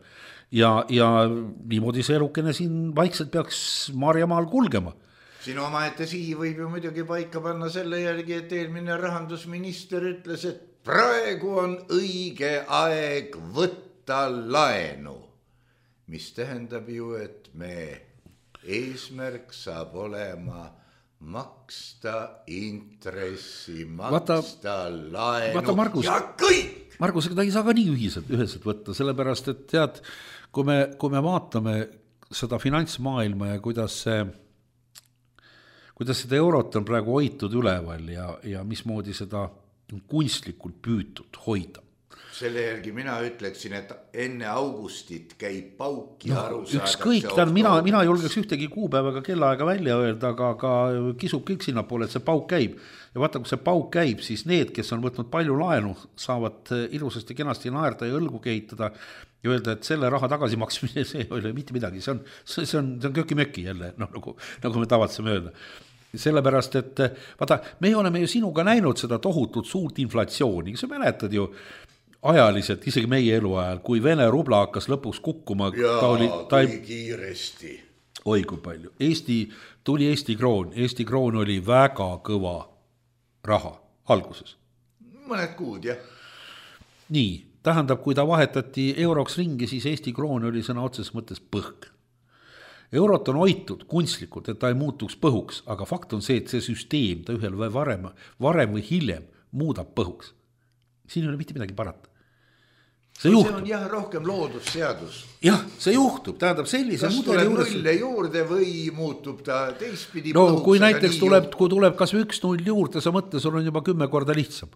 Ja, ja niimoodi see elukene siin vaikselt peaks Marjamaal kulgema. Siin omaette sihi võib ju muidugi paika panna selle järgi, et eelmine rahandusminister ütles, et praegu on õige aeg võtta laenu, mis tähendab ju, et me eesmärk saab olema maksta intressi, maksta vaata, laenu vaata Margus, ja kõik. Margus, ta ei saa ka nii ühiselt, üheselt võtta, sellepärast, et tead, kui me, kui me vaatame seda finantsmaailma ja kuidas see, kuidas seda eurot on praegu hoitud üleval ja, ja mismoodi seda on kunstlikult püütud hoida. Selle järgi mina ütleksin, et enne augustit käib pauk ja no, aru saadakse. Ükskõik, tähendab, mina, mina julgeks ühtegi kuupäevaga kellaaega välja öelda, aga, aga kisub kõik sinna poole, et see pauk käib. Ja vaata, kui see pauk käib, siis need, kes on võtnud palju laenu, saavad ilusasti kenasti naerda ja õlgu kehitada ja öelda, et selle raha tagasimaksmine, see ei ole mitte midagi. See on, see on, see on köki-möki jälle, no, nagu, nagu me tavatseme öelda. Sellepärast, et vaata, me oleme ju sinuga näinud seda tohutut suurt inflatsiooni. Sa mäletad ju ajaliselt, isegi meie eluajal, kui Vene rubla hakkas lõpuks kukkuma. Jaa, ta oli, ta kui kiiresti. Oi, kui palju. Eesti, tuli Eesti kroon. Eesti kroon oli väga kõva raha alguses. Mõned kuud, jah. Nii, tähendab, kui ta vahetati euroks ringi, siis Eesti kroon oli sõna otses mõttes põhk. Eurot on hoitud kunstlikult, et ta ei muutuks põhuks, aga fakt on see, et see süsteem ta ühel või varem, varem või hiljem muudab põhuks. Siin ei ole mitte midagi parata. See, see on jah rohkem loodusseadus. Jah, see juhtub, tähendab sellise kas mudeli juures... nulle juurde või muutub ta teistpidi no, põhuks? Kui näiteks tuleb, kui tuleb kas või üks null juurde, sa mõtle, sul on juba kümme korda lihtsam.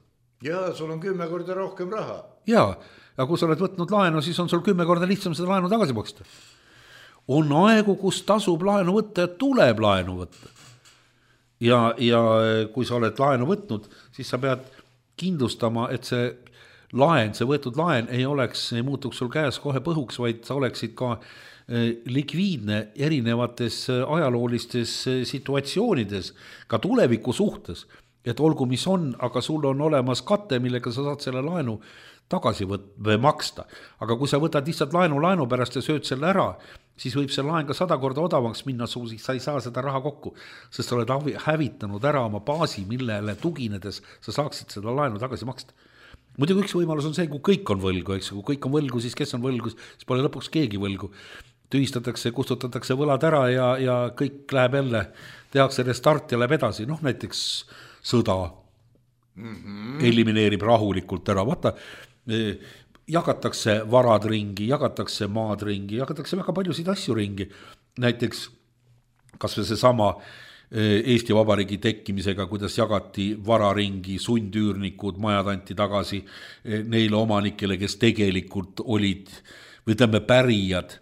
Jaa, sul on kümme korda rohkem raha. Jaa, aga kui sa oled võtnud laenu, siis on sul kümme korda lihtsam seda laenu tagasi maksta. On aegu, kus tasub laenu võtta ja tuleb laenu võtta. Ja, ja kui sa oled laenu võtnud, siis sa pead kindlustama, et see laen, see võetud laen ei oleks, ei muutuks sul käes kohe põhuks, vaid sa oleksid ka likviidne erinevates ajaloolistes situatsioonides, ka tuleviku suhtes, et olgu mis on, aga sul on olemas kate, millega sa saad selle laenu tagasi võt- või maksta. Aga kui sa võtad lihtsalt laenu laenu pärast ja sööd selle ära, siis võib see laen ka sada korda odavaks minna, sa ei saa seda raha kokku, sest sa oled hävitanud ära oma baasi, millele tuginedes sa saaksid seda laenu tagasi maksta. Muidugi üks võimalus on see, kui kõik on võlgu, eks, kui kõik on võlgu, siis kes on võlgu, siis pole lõpuks keegi võlgu. Tühistatakse, kustutatakse võlad ära ja, ja kõik läheb jälle, tehakse restart ja läheb edasi, noh näiteks sõda mm-hmm. elimineerib rahulikult ära, vaata, jagatakse varad ringi, jagatakse maad ringi, jagatakse väga paljusid asju ringi, näiteks kas või see sama Eesti Vabariigi tekkimisega, kuidas jagati vararingi, sundüürnikud, majad anti tagasi neile omanikele, kes tegelikult olid, või tõmbe pärijad,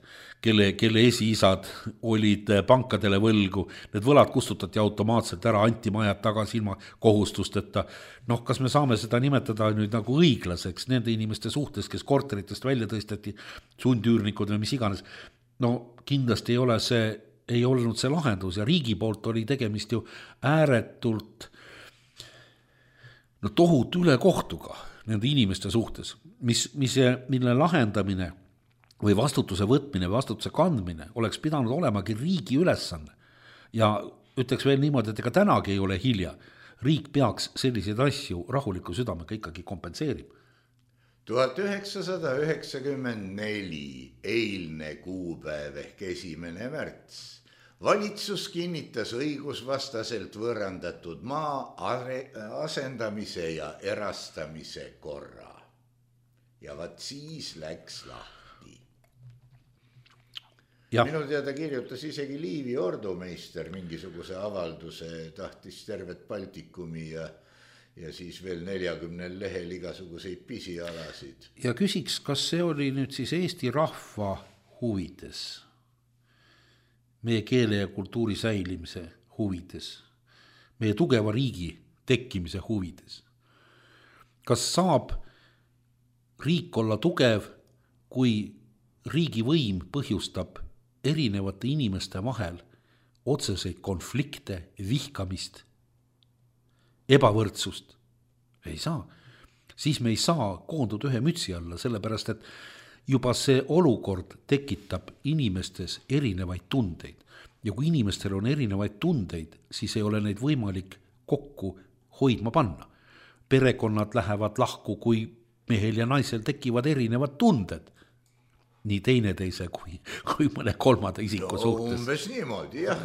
kelle, kelle esiisad olid pankadele võlgu, need võlad kustutati automaatselt ära, anti majad tagasi ilma kohustusteta. Noh, kas me saame seda nimetada nüüd nagu õiglaseks nende inimeste suhtes, kes korteritest välja tõsteti, sundüürnikud või mis iganes? No kindlasti ei ole see ei olnud see lahendus ja riigi poolt oli tegemist ju ääretult no tohutu ülekohtuga nende inimeste suhtes, mis, mis, mille lahendamine või vastutuse võtmine, vastutuse kandmine oleks pidanud olemagi riigi ülesanne. Ja ütleks veel niimoodi, et ega tänagi ei ole hilja. Riik peaks selliseid asju rahuliku südamega ikkagi kompenseerima. tuhat üheksasada üheksakümmend neli eilne kuupäev ehk esimene märts. Valitsus kinnitas õigusvastaselt võõrandatud maa asendamise ja erastamise korra. Ja vaat siis läks lahti. Ja. Minu teada kirjutas isegi Liivi ordumeister mingisuguse avalduse, tahtis tervet Baltikumi ja, ja siis veel neljakümnel lehel igasuguseid pisialasid. Ja küsiks, kas see oli nüüd siis Eesti rahva huvides? Meie keele ja kultuuri säilimise huvides, meie tugeva riigi tekkimise huvides. Kas saab riik olla tugev, kui riigi võim põhjustab erinevate inimeste vahel otseseid konflikte, vihkamist, ebavõrdsust? Ei saa. Siis me ei saa koonduda ühe mütsi alla, sellepärast et juba see olukord tekitab inimestes erinevaid tundeid. Ja kui inimestel on erinevaid tundeid, siis ei ole neid võimalik kokku hoidma panna. Perekonnad lähevad lahku, kui mehel ja naisel tekivad erinevad tunded. Nii teineteise kui, kui mõne kolmanda isiku no, suhtes. Umbes niimoodi, jah.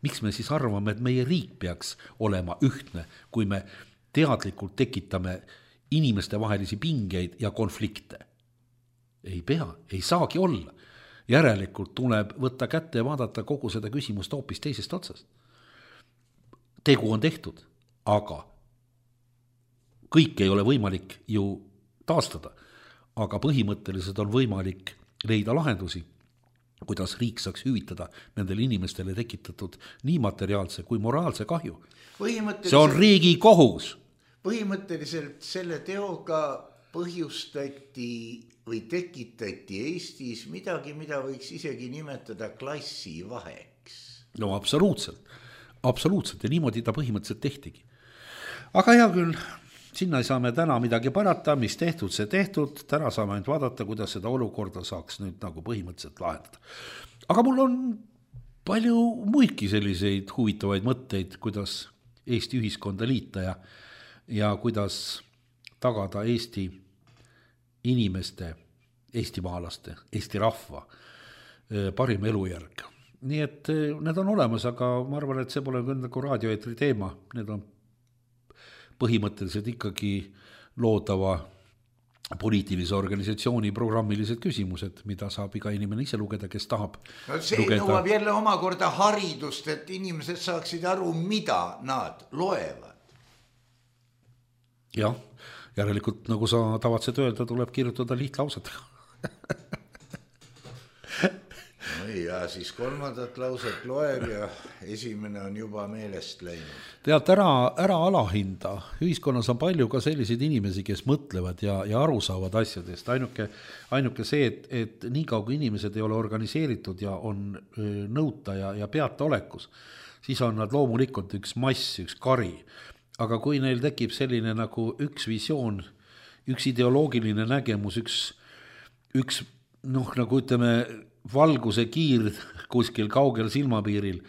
Miks me siis arvame, et meie riik peaks olema ühtne, kui me teadlikult tekitame inimeste vahelisi pingeid ja konflikte? Ei pea, ei saagi olla. Järelikult tuleb võtta kätte ja vaadata kogu seda küsimust hoopis teisest otsast. Tegu on tehtud, aga kõik ei ole võimalik ju taastada, aga põhimõtteliselt on võimalik leida lahendusi, kuidas riik saaks hüvitada nendele inimestele tekitatud nii materiaalse kui moraalse kahju. See on riigi kohus. Põhimõtteliselt selle teoga põhjustati või tekitati Eestis midagi, mida võiks isegi nimetada klassivaheks. No absoluutselt, absoluutselt ja niimoodi ta põhimõtteliselt tehtigi. Aga hea küll, sinna ei saa me täna midagi parata, mis tehtud, see tehtud, täna saame ainult vaadata, kuidas seda olukorda saaks nüüd nagu põhimõtteliselt lahendada. Aga mul on palju muidki selliseid huvitavaid mõtteid, kuidas Eesti ühiskonda liita ja, ja kuidas tagada Eesti inimeste, Eesti maalaste, Eesti rahva parim elujärg. Nii et need on olemas, aga ma arvan, et see pole nagu raadioeetri teema. Need on põhimõtteliselt ikkagi loodava poliitilise organisatsiooni programmilised küsimused, mida saab iga inimene ise lugeda, kes tahab. No see lugeda. Nõuab jälle omakorda haridust, et inimesed saaksid aru, mida nad loevad. Jah, järelikult, nagu sa tavatsed öelda, tuleb kirjutada lihtlaused. No ja siis kolmandat lauset loeb ja esimene on juba meelest läinud. Tead, ära, ära alahinda. Ühiskonnas on palju ka selliseid inimesi, kes mõtlevad ja, ja aru saavad asjadest. Ainuke, ainuke see, et, et nii kaugu inimesed ei ole organiseeritud ja on nõuta ja, ja peata olekus, siis on nad loomulikult üks mass, üks kari. Aga kui neil tekib selline nagu üks visioon, üks ideoloogiline nägemus, üks, üks noh, nagu ütleme, valguse kiir kuskil kaugel silmapiiril,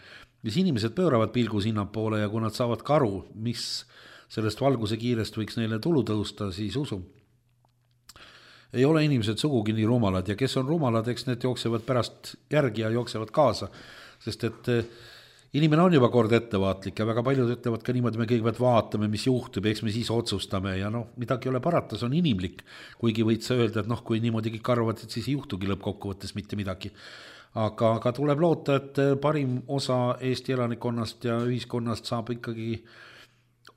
mis inimesed pööravad pilgu sinnapoole ja kui nad saavad karu, mis sellest valguse kiirest võiks neile tulu tõusta, siis usu. Ei ole inimesed sugugi nii rumalad ja kes on rumalad, eks need jooksevad pärast järgi ja jooksevad kaasa, sest et inimene on juba kord ettevaatlik ja väga paljud ütlevad ka niimoodi, me kõigepealt vaatame, mis juhtub, eks me siis otsustame ja noh, midagi ei ole parata, see on inimlik, kuigi võid sa öelda, et noh, kui niimoodi kõik arvavad, et siis ei juhtugi lõppkokkuvõttes mitte midagi. Aga, aga tuleb loota, et parim osa Eesti elanikkonnast ja ühiskonnast saab ikkagi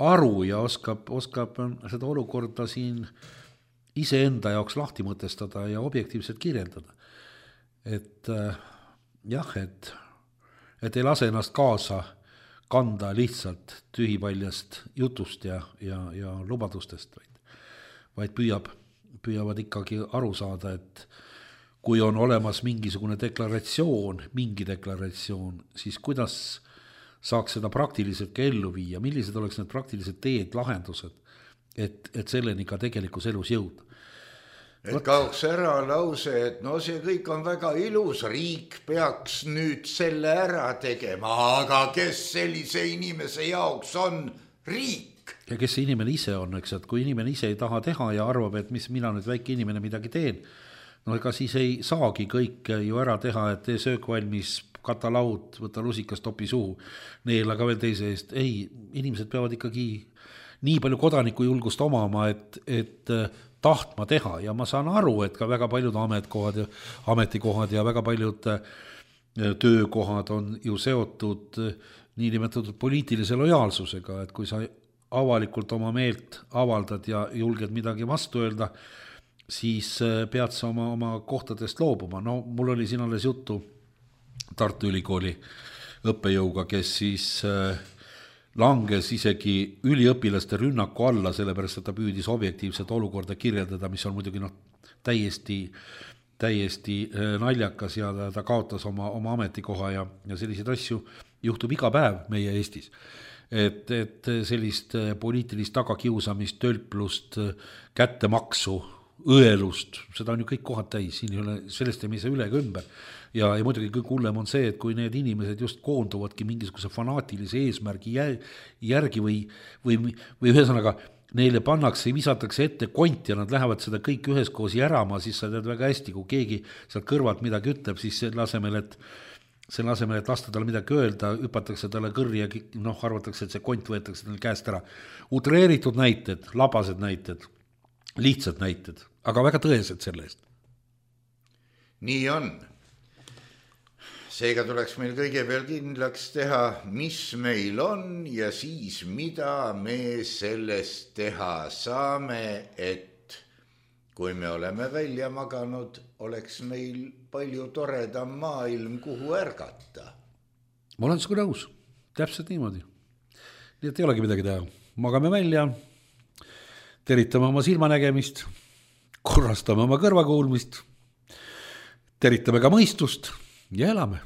aru ja oskab, oskab seda olukorda siin iseenda jaoks lahti mõtestada ja objektiivselt kirjeldada. Et jah, et et ei lase ennast kaasa kanda lihtsalt tühipaljast jutust ja, ja, ja lubadustest, vaid, vaid püüab, püüavad ikkagi aru saada, et kui on olemas mingisugune deklaratsioon, mingi deklaratsioon, siis kuidas saaks seda praktiliselt ka ellu viia, millised oleks need praktilised teed, lahendused, et, et selleni ka tegelikus elus jõuda. Et kaoks ära lause, et no see kõik on väga ilus, riik peaks nüüd selle ära tegema, aga kes sellise inimese jaoks on riik? Ja kes see inimene ise on, eks, et kui inimene ise ei taha teha ja arvab, et mis mina nüüd väike inimene midagi teen, no ega siis ei saagi kõik ju ära teha, et tee söök valmis, kata laud, võta lusikas, topi suhu, neela ka veel teise eest. Ei, inimesed peavad ikkagi nii palju kodaniku julgust omama, et, et tahtma teha ja ma saan aru, et ka väga paljud ametkohad ja ametikohad ja väga paljud töökohad on ju seotud niinimetatud poliitilise lojaalsusega, et kui sa avalikult oma meelt avaldad ja julged midagi vastu öelda, siis pead sa oma, oma kohtadest loobuma. No mul oli siin alles juttu Tartu Ülikooli õppejõuga, kes siis langes isegi üliõpilaste rünnaku alla, sellepärast, et ta püüdis objektiivset olukorda kirjeldada, mis on muidugi noh, täiesti, täiesti naljakas ja ta, ta kaotas oma, oma ametikoha ja, ja selliseid asju juhtub iga päev meie Eestis. Et, et sellist poliitilist tagakiusamist, tölplust, kättemaksu, õelust, seda on ju kõik kohad täis, siin ei ole, sellest ei saa üle ega ümber. Ja, ja muidugi kõik hullem on see, et kui need inimesed just koonduvadki mingisuguse fanaatilise eesmärgi järgi või, või, või ühesõnaga neile pannakse, visatakse ette kont ja nad lähevad seda kõik üheskoos järama, siis sa tead väga hästi, kui keegi sealt kõrvalt midagi ütleb, siis selle asemel, et selle asemel, et lasta talle midagi öelda, hüpatakse talle kõrri ja noh, arvatakse, et see kont võetakse talle käest ära. Utreeritud näited, labased näited, lihtsad näited, aga väga tõesed selle eest. Nii on. Seega tuleks meil kõigepealt kindlaks teha, mis meil on ja siis mida me sellest teha saame, et kui me oleme välja maganud, oleks meil palju toredam maailm, kuhu ärgata. Ma olen sinuga nõus, täpselt niimoodi. Nii et ei olegi midagi teha. Magame välja, teritame oma silmanägemist, korrastame oma kõrvakuulmist, teritame ka mõistust ja elame.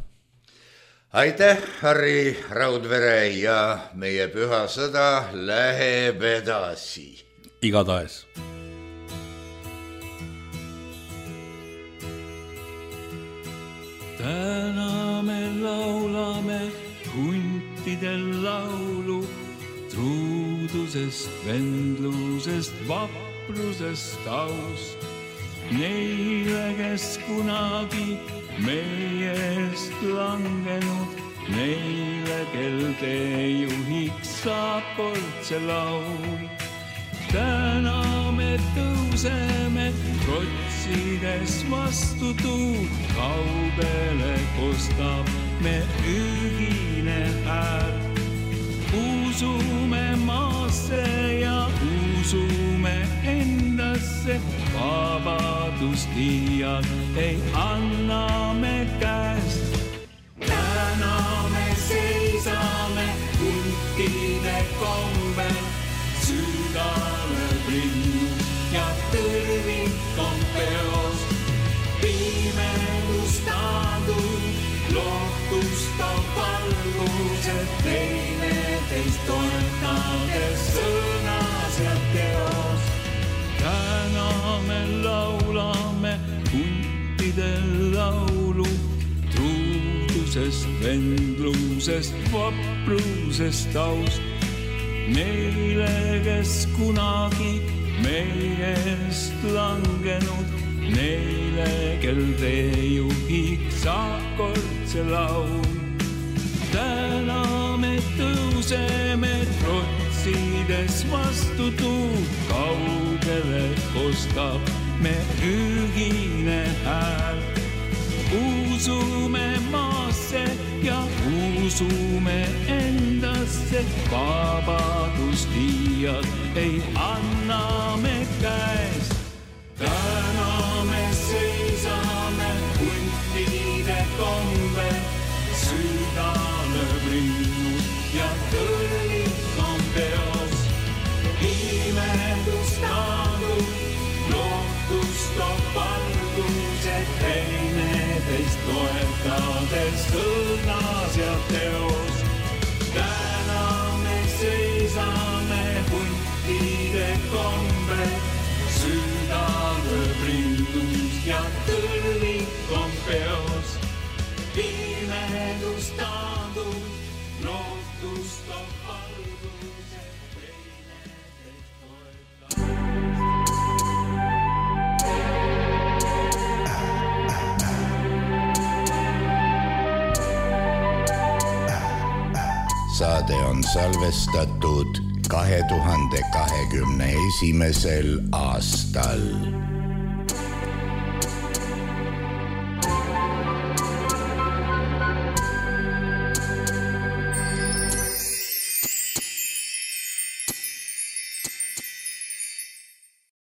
Aitäh, Harri Raudvere, ja meie püha sõda läheb edasi. Igatahes. Täna me laulame huntidel laulu, truudusest, vendlusest, vaprusest, taust. Neile, kes kunagi meiest langenud, neile, kel teejuhiks saab kord see laul. Täna me tõuseme, rotsides vastu tuud, kaugele kostab me ühine hääl. Usume maasse ja usume endasse, vabadust iial ei anna me käest. Täna me seisame huntide kombel, südame rinnus ja tõrvik on peos. Pimedus taandub, lohtustab valgused, teineteist toetades sõnas ja teos. Täna me laulame huntidel laulu, truudusest, vendlusest, vaprusest, taust. Neile, kes kunagi meiest langenud, neile, kel teejuhiks saab kord see laul. Täna me tõuseme, trotsides vastu tuud, kaugele kostab me ühine hääl. Usume maasse ja usume endasse, vabadust iial ei anna me käest. Täna me seisame huntide kombel, südame rinnus ja tõrvik on peos. Imedus taandub, lohtustab valgused, teineteist toetades sõnas ja teos. Täna me seisame huntide kombel, saade on salvestatud kahe tuhande kahekümne esimesel aastal.